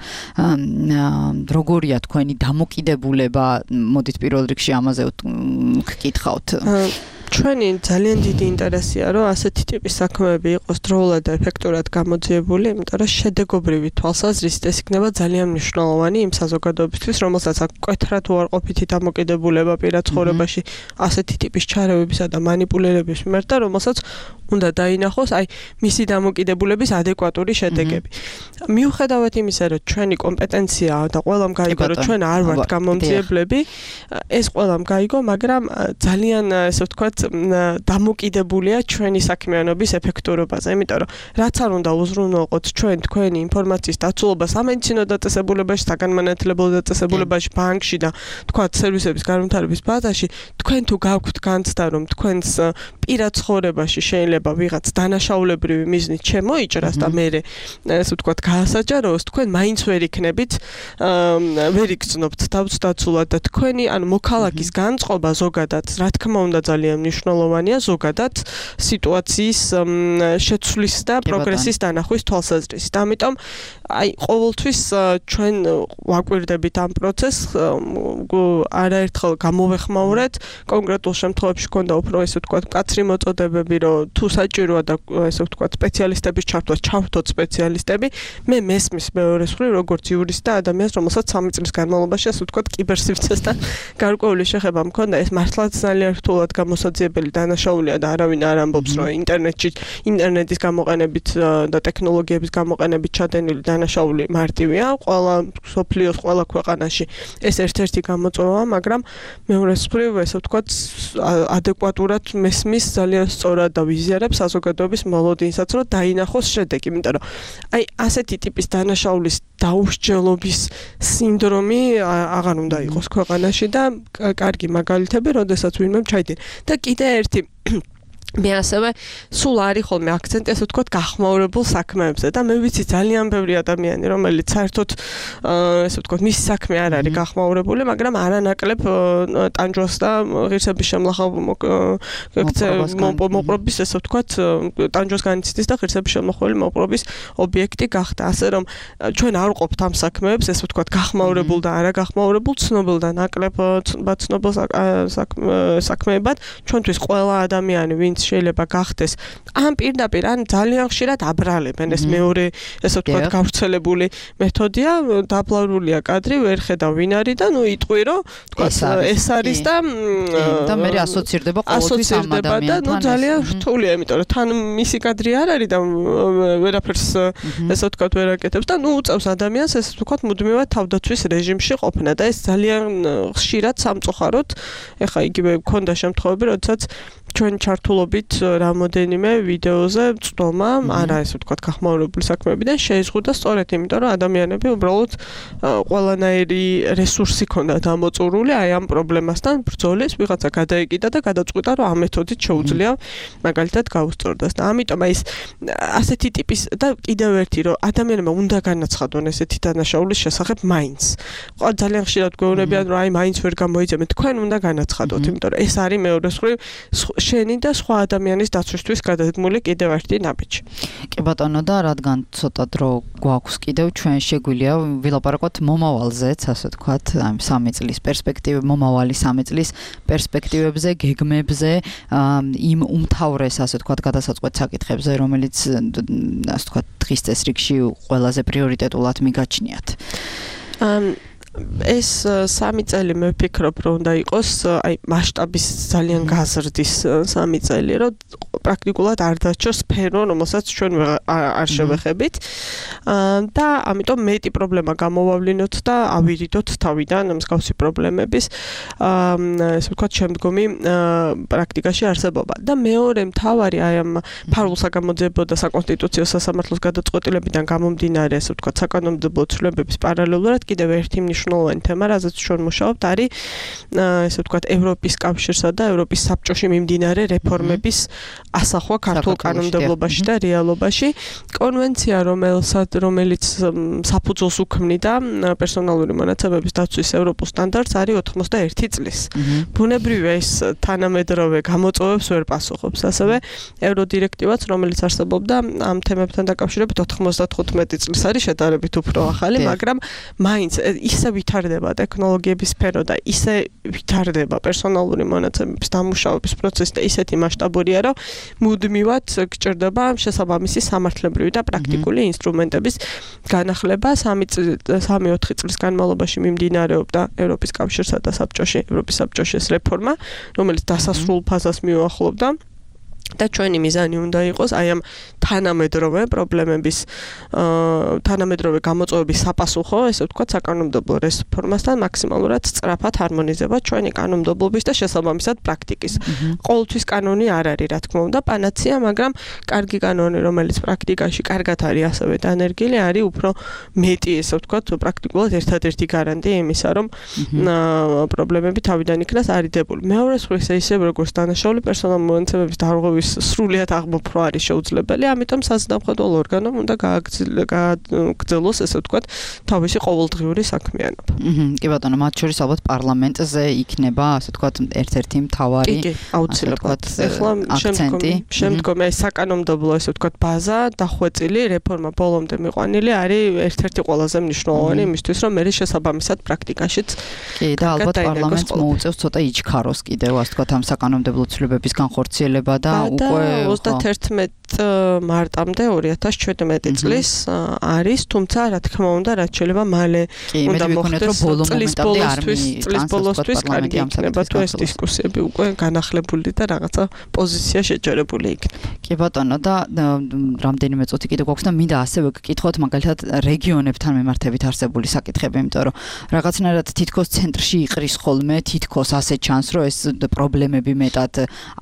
როგორია თქვენი დამოკიდებულება, მოდით პირველ რიგში ამაზე გკითხავთ. ჩვენი ძალიან დიდი ინტერესია, რომ ასეთი ტიპის საქმეები იყოს დროულად და ეფექტურად გამოძიებული, იმიტომ რომ შედეგობრივი თვალსაზრისით ეს იქნება ძალიან მნიშვნელოვანი იმ საზოგადოებისთვის, რომელსაც აქვს მკვეთრად უარყოფითი დამოკიდებულება პირად ცხოვრებაში ასეთი ტიპის ჩარევებისა და მანიპულირების მიმართ და რომელსაც უნდა დაინახოს აი მისი დამოკიდებულების ადეკვატური შედეგები. მიუხედავად იმისა, რომ ჩვენი კომპეტენციაა და ყველამ გაიგო, რომ ჩვენ არ ვართ გამომძიებლები, ეს ყველამ გაიგო, მაგრამ ძალიან ესე ვთქვათ დამოკიდებულია ჩვენი საქმიანობის ეფექტურობაზე, იმიტომ რომ რაც არ უნდა უზრუნველყოთ ჩვენ თქვენი ინფორმაციის დაცულობას სამედიცინო დაწესებულებაში, საგანმანათლებლო დაწესებულებაში, ბანკში და თქვათ სერვისების განვითარების ბაზაში, თქვენ თუ გაქვთ განცდა, რომ თქვენს პირად ცხოვრებაში შეიძლება ვიღაც დანაშაულებრივი მიზნით შემოიჭრას და მე ესე ვთქვათ გაასაჯაროოს, თქვენ მაინც ვერ იქნებით, ვერ იგრძნობთ თავს დაცულად და თქვენი ანუ მოქალაქის განწყობა ზოგადად, რა თქმა უნდა ძალიან მნიშვნელოვანია ზოგადად სიტუაციის შეცვლის და პროგრესის დანახვის თვალსაზრისით. ამიტომ აი ყოველთვის ჩვენ ვაკვირდებით ამ პროცესს, არაერთხელ გამოვეხმაურეთ, კონკრეტულ შემთხვევებში ქონდა უფრო ესე ვთქვათ მკაცრი მოწოდებები, რომ თუ საჭიროა და ესე ვთქვათ სპეციალისტების ჩართვა, ჩავთოთ სპეციალისტები. მე მესმის მეორეს მხრივ როგორც იურისტი და ადამიანს, რომელსაც 3 წლის განმავლობაში ასე ვთქვათ კიბერსივრცესთან გარკვეული შეხება მქონდა, ეს მართლაც ძალიან რთულად გამოსაძიებელი დანაშაულია და არავინ არ ამბობს, რომ ინტერნეტის გამოყენებით და ტექნოლოგიების გამოყენებით ჩადენილი დანაშაული მარტივია, ყველა სოფლიოს ყველა ქვეყანაში ეს ერთ-ერთი გამოწვევაა, მაგრამ მეორეს მხრივ ესე ვთქვათ ადეკვატურად მესმის ძალიან სწორად და ვიზიარებს საზოგადოების მოლოდინსაც, რომ დაინახოს შედეგი, იმიტომ რომ აი ასეთი ტიპის დანაშაულის დაუსჯელობის სინდრომი აღარ უნდა იყოს ქვეყანაში და კარგი მაგალითები, როდესაც ვინმე ჩაიდინა. და კიდე ერთი მე ასევე სულ არის ხოლმე აქცენტი ასე ვთქვათ გახმაურებულ საქმეებზე და მე ვიცი ძალიან ბევრი ადამიანი რომელიც საერთოდ ესე ვთქვათ მისი საქმე არ არის გახმაურებული, მაგრამ არანაკლებ ტანჯვას და ღირსების შემლახავ მოპყრობის ესე ვთქვათ ტანჯვას განიცდის და ღირსების შემლახველი მოპყრობის ობიექტი გახდა. ასე რომ ჩვენ არ ვყოფთ ამ საქმეებს ესე ვთქვათ გახმაურებულ და არაგახმაურებულ, ცნობილ და ნაკლებ ცნობილ საქმეებად, ჩვენთვის ყველა ადამიანი ვინც შეიძლება გახდეს ამ პირდაპირ ან ძალიან ხშირად აბრალებენ ეს მეორე ესე ვთქვათ გავრცელებული მეთოდია, დაბლავრულია კადრი, ვერ ხედავ ვინ არის და ნუ იტყვი რომ ვთქვათ ეს არის და მე ასოცირდება ყოველთვის ამ ადამიანთან და ნუ ძალიან რთულია, იმიტომ რომ თან მისი კადრი არ არის და ვერაფერს ესე ვთქვათ ვერ აკეთებს და ნუ უწევს ადამიანს ესე ვთქვათ მუდმივად თავდაცვის რეჟიმში ყოფნა და ეს ძალიან ხშირად სამწუხაროდ ეხა იგივე მქონდა შემთხვევები, როდესაც ჩვენ ჩართულობით რამოდენიმე ვიდეოზე წვდომა, არა ესე ვთქვათ გახმაურებული საქმეებიდან შეიზღუდა სწორედ იმიტომ, რომ ადამიანები უბრალოდ ყველანაირი რესურსი ქონდათ ამოწურული აი ამ პრობლემასთან ბრძოლის, ვიღაცა გადაიკიდა და გადაწყვიტა, რომ ამ მეთოდით შეუძლია მაგალითად გაუსწორდეს და ამიტომ აი ეს ასეთი ტიპის და კიდევ ერთი რომ ადამიანებმა უნდა განაცხადონ ესეთი დანაშაულის შესახებ მაინც. ძალიან ხშირად გვეუბნებიან, რომ აი მაინც ვერ გამოიძებენ, თქვენ უნდა განაცხადოთ, იმიტომ რომ ეს არის მეორეს მხრივ შენი და სხვა ადამიანის დაცვისთვის გადადგმული კიდევ ერთი ნაბიჯი. კი ბატონო, და რადგან ცოტა დრო გვაქვს კიდევ, ჩვენ შეგვიძლია ვილაპარაკოთ მომავალზეც, ასე ვთქვათ, ამ 3 წლის პერსპექტივები, მომავალი 3 წლის პერსპექტივებზე, გეგმებზე, იმ უმთავრეს, ასე ვთქვათ, გადასაწყვეტ საკითხებზე, რომელიც, ასე ვთქვათ, დღის წესრიგში ყველაზე პრიორიტეტულად მიგაჩნიათ. ეს 3 წელი მე ვფიქრობ, რომ უნდა იყოს აი მასშტაბის ძალიან გაზრდის 3 წელი, რომ პრაქტიკულად არ დაჩოს სფერო, რომელსაც ჩვენ არ შევეხებით. და ამიტომ მეტი პრობლემა გამოვავლინოთ და ავირიდოთ თავიდან მსგავსი პრობლემების ესე ვთქვათ შემდგომი პრაქტიკაში არსებობა. და მეორე მთავარი აი ამ ფარულ საგამოძიებო და საკონსტიტუციო სასამართლოს გადაწყვეტილებიდან გამომდინარე ესე ვთქვათ საკანონმდებლო ცვლილებების პარალელურად კიდევ ერთი მნიშვნელოვანი თემა, რაზეც ჩვენ მუშაობთ, არის ესე ვთქვათ ევროპის კავშირსა და ევროპის საბჭოში მიმდინარე რეფორმების ასახვა ქართულ კანონმდებლობაში და რეალობაში. კონვენცია, რომელიც საფუძველს უქმნიდა პერსონალური მონაცემების დაცვის ევროპულ სტანდარტს, არის 91 წლის. ბუნებრივია ის თანამედროვე გამოწვევებს ვერ პასუხობს. ასევე ევროდირექტივაც, რომელიც არსებობდა ამ თემებთან დაკავშირებით 95 წლის არის შედარებით უფრო ახალი, მაგრამ მაინც ისე ვითარდება ტექნოლოგიების სფერო და ისე ვითარდება პერსონალური მონაცემების დამუშავების პროცესი და ისეთი მასშტაბურია, რომ მუდმივად გჭირდება შესაბამისი სამართლებრივი და პრაქტიკული ინსტრუმენტების განახლება. 3-4 წლის განმავლობაში მიმდინარეობდა ევროპის კავშირსა და ევროპის საბჭოში ეს რეფორმა, რომელიც დასასრულ ფაზას მიუახლოვდა. და ჩვენი მიზანი უნდა იყოს აი ამ თანამედროვე პრობლემების თანამედროვე გამოწვევების საპასუხო, ესე ვთქვათ, საკანონმდებლო რეფორმასთან მაქსიმალურად სწრაფად ჰარმონიზება ჩვენი კანონმდებლობის და შესაბამისად პრაქტიკის. ყოველთვის კანონი არ არის, რა თქმა უნდა, პანაცეა, მაგრამ კარგი კანონი, რომელიც პრაქტიკაში კარგად არის ასევე დანერგილი, არის უფრო მეტი, ესე ვთქვათ, პრაქტიკულად ერთადერთი გარანტია იმისა, რომ პრობლემები თავიდან იქნას არიდებული. მეორე მხრივ ისე როგორც დანაშაული პერსონალური მონაცემების დარღვევის სრულიად აღმოფხვრა არის შეუძლებელი, ამიტომ საზნავხედველ ორგანომ უნდა გააგრძელოს, ესე ვთქვათ, თავისი ყოველდღიური საქმიანობა. კი ბატონო, მათ შორის ალბათ პარლამენტზე იქნება, ასე ვთქვათ, ერთ-ერთი მთავარი აუცილებლად. ეხლა შემდგომი აი საკანონმდებლო, ესე ვთქვათ, ბაზა დახვეწილი რეფორმა ბოლომდე მიყვანილი არის ერთ-ერთი ყველაზე მნიშვნელოვანი იმისთვის, რომ მე შესაბამისად პრაქტიკაშიც კი და ალბათ პარლამენტს მოუწევს ცოტა იჩქაროს კიდევ, ასე ვთქვათ, ამ საკანონმდებლო ცვლილებების განხორციელება და უკვე 31 მარტამდე 2017 წლის არის, თუმცა რა თქმა უნდა, რაც შეიძლება მალე უნდა მოხდეს წლის ბოლოსთვის კარგი იქნება თუ ეს დისკუსიები უკვე განახლებული და რაღაცა პოზიცია შეჯერებული იქნება. კი ბატონო, და რამდენიმე წუთი კიდე გვაქვს და მინდა ასევე გკითხოთ მაგალითად რეგიონებთან მიმართებით არსებული საკითხები, იმიტომ რომ რაღაცნაირად თითქოს ცენტრში იყრის ხოლმე, თითქოს ასე ჩანს, რომ ეს პრობლემები მეტად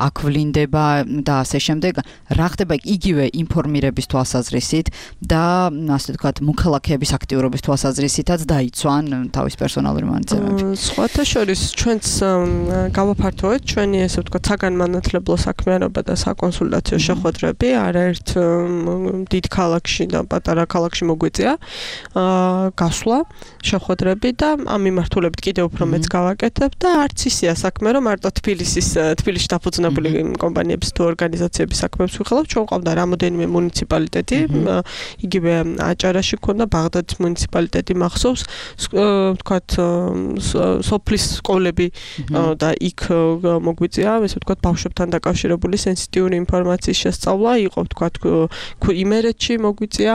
აქვვლინდება და ასე შემდეგ. რა ხდება იგივე ინფორმირების თვალსაზრისით და ასე ვთქვათ, მოქალაქეების აქტიურობის თვალსაზრისითაც დაიცვან თავის პერსონალური მონაცემები. სხვათა შორის ჩვენც გავაფართოვეთ ჩვენი ესე ვთქვათ საგანმანათლებლო საქმიანობა და საკონსულტაციო შეხვედრები არაერთ დიდ ქალაქში და პატარა ქალაქში მოგვიწია გასვლა შეხვედრები და ამ მიმართულებით კიდევ უფრო მეც გავაკეთებ და არც ისეა საქმე, რომ მარტო თბილისში დაფუძნებული კომპანიების თუ ორგანიზაციების საქმეებს ვიხილავ, ჩვენ ყავდა რამოდენიმე მუნიციპალიტეტი, იგივე აჭარაში ქონდა, ბაღდადის მუნიციპალიტეტი მახსოვს, ვთქვათ, სოფლის სკოლები და იქ მოგვიწია, ესე ვთქვათ, ბავშვებთან დაკავშირებული სენსიტიური ინფორმაციის შესწავლა, იყო ვთქვათ, იმერეთში მოგვიწია,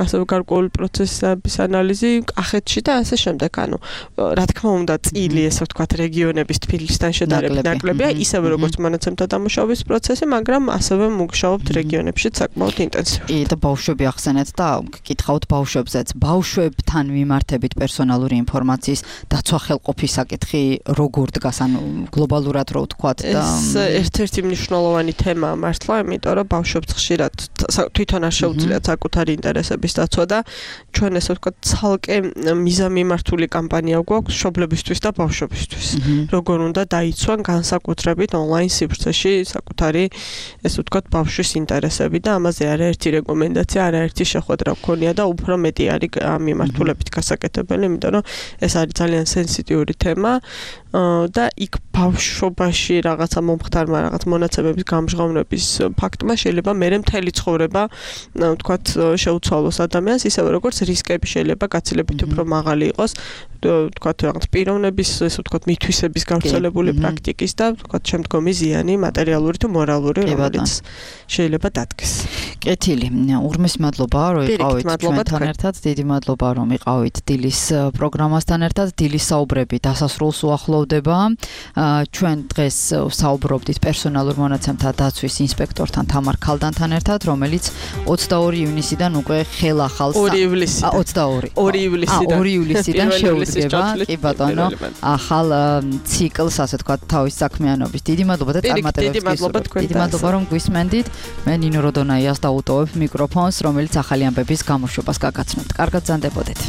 ასევე გარკვეული პროცესების ანალიზი კახეთში და ასე შემდეგ. ანუ რა თქმა უნდა, წილი, ესე ვთქვათ, რეგიონების თბილისთან შედარებით ნაკლებია, ისევე როგორც მონაცემთა დამუშავების პროცესი, მაგრამ ასევე მუშაობთ რეგიონებში საკმაოდ ინტენსიურად. კი, და ბავშვები ახსენეთ და გკითხავთ ბავშვებზეც. ბავშვებთან მიმართებით პერსონალური ინფორმაციის დაცვა ხელყოფის საკითხი როგორ დგას, ანუ გლობალურად რო ვთქვათ და ეს ერთ-ერთი მნიშვნელოვანი თემაა მართლა, იმიტომ რომ ბავშვებს ხშირად თვითონ არ შეუძლიათ საკუთარი ინტერესების დაცვა და ჩვენ ესე ვთქვათ, ცალკე მიზანმიმართული კამპანია გვაქვს მშობლებისთვის და ბავშვებისთვის. როგორ უნდა დაიცვან განსაკუთრებით ონლაინ სივრცეში საკუთარი ესე ვთქვათ, ბავშვის ინტერესები და ამაზე არაერთი რეკომენდაცია, არაერთი შეხვედრა გქონია და უფრო მეტი არის ამ მიმართულებით გასაკეთებელი, იმიტომ რომ ეს არის ძალიან სენსიტიური თემა და იქ ბავშვობაში რაღაცა მომხდარმა რაღაც მონაცემების გამჟღავნების ფაქტმა შეიძლება მერე მთელი ცხოვრება, ვთქვათ, შეუცვალოს ადამიანს, ისევე როგორც რისკები შეიძლება გაცილებით უფრო მაღალი იყოს, ვთქვათ, რაღაც პიროვნების, ესე ვთქვათ, მითვისების გავრცელებული პრაქტიკის და ვთქვათ, შემდგომი ზიანი, მატერიალური თუ მორალური, რომელიც შეიძლება დადგეს. კეთილი. ურმეს მადლობა, რომ იყავით ჩვენთან ერთად. დიდი მადლობა, რომ იყავით დილის პროგრამასთან ერთად. დილის საუბრები დასასრულს უახლოვდება. ჩვენ დღეს საუბრობდით პერსონალურ მონაცემთა დაცვის ინსპექტორთან თამარ ქალდანთან ერთად, რომელიც 22 ივნისიდან უკვე ხელახალ 2 ივლისიდან შეუდგება. კი ბატონო, ახალ ციკლს, ასე თქვა, თავის საქმიანობის. დიდი მადლობა და წარმატებებს გისურვებთ. დიდი მადლობა, რომ გვისმენდით. მე ნინო როდონაიას დავუტოვებ მიკროფონს, რომელიც ახალი ამბების გამოშვებას გაგაცნობთ. კარგად ზანდებოდეთ.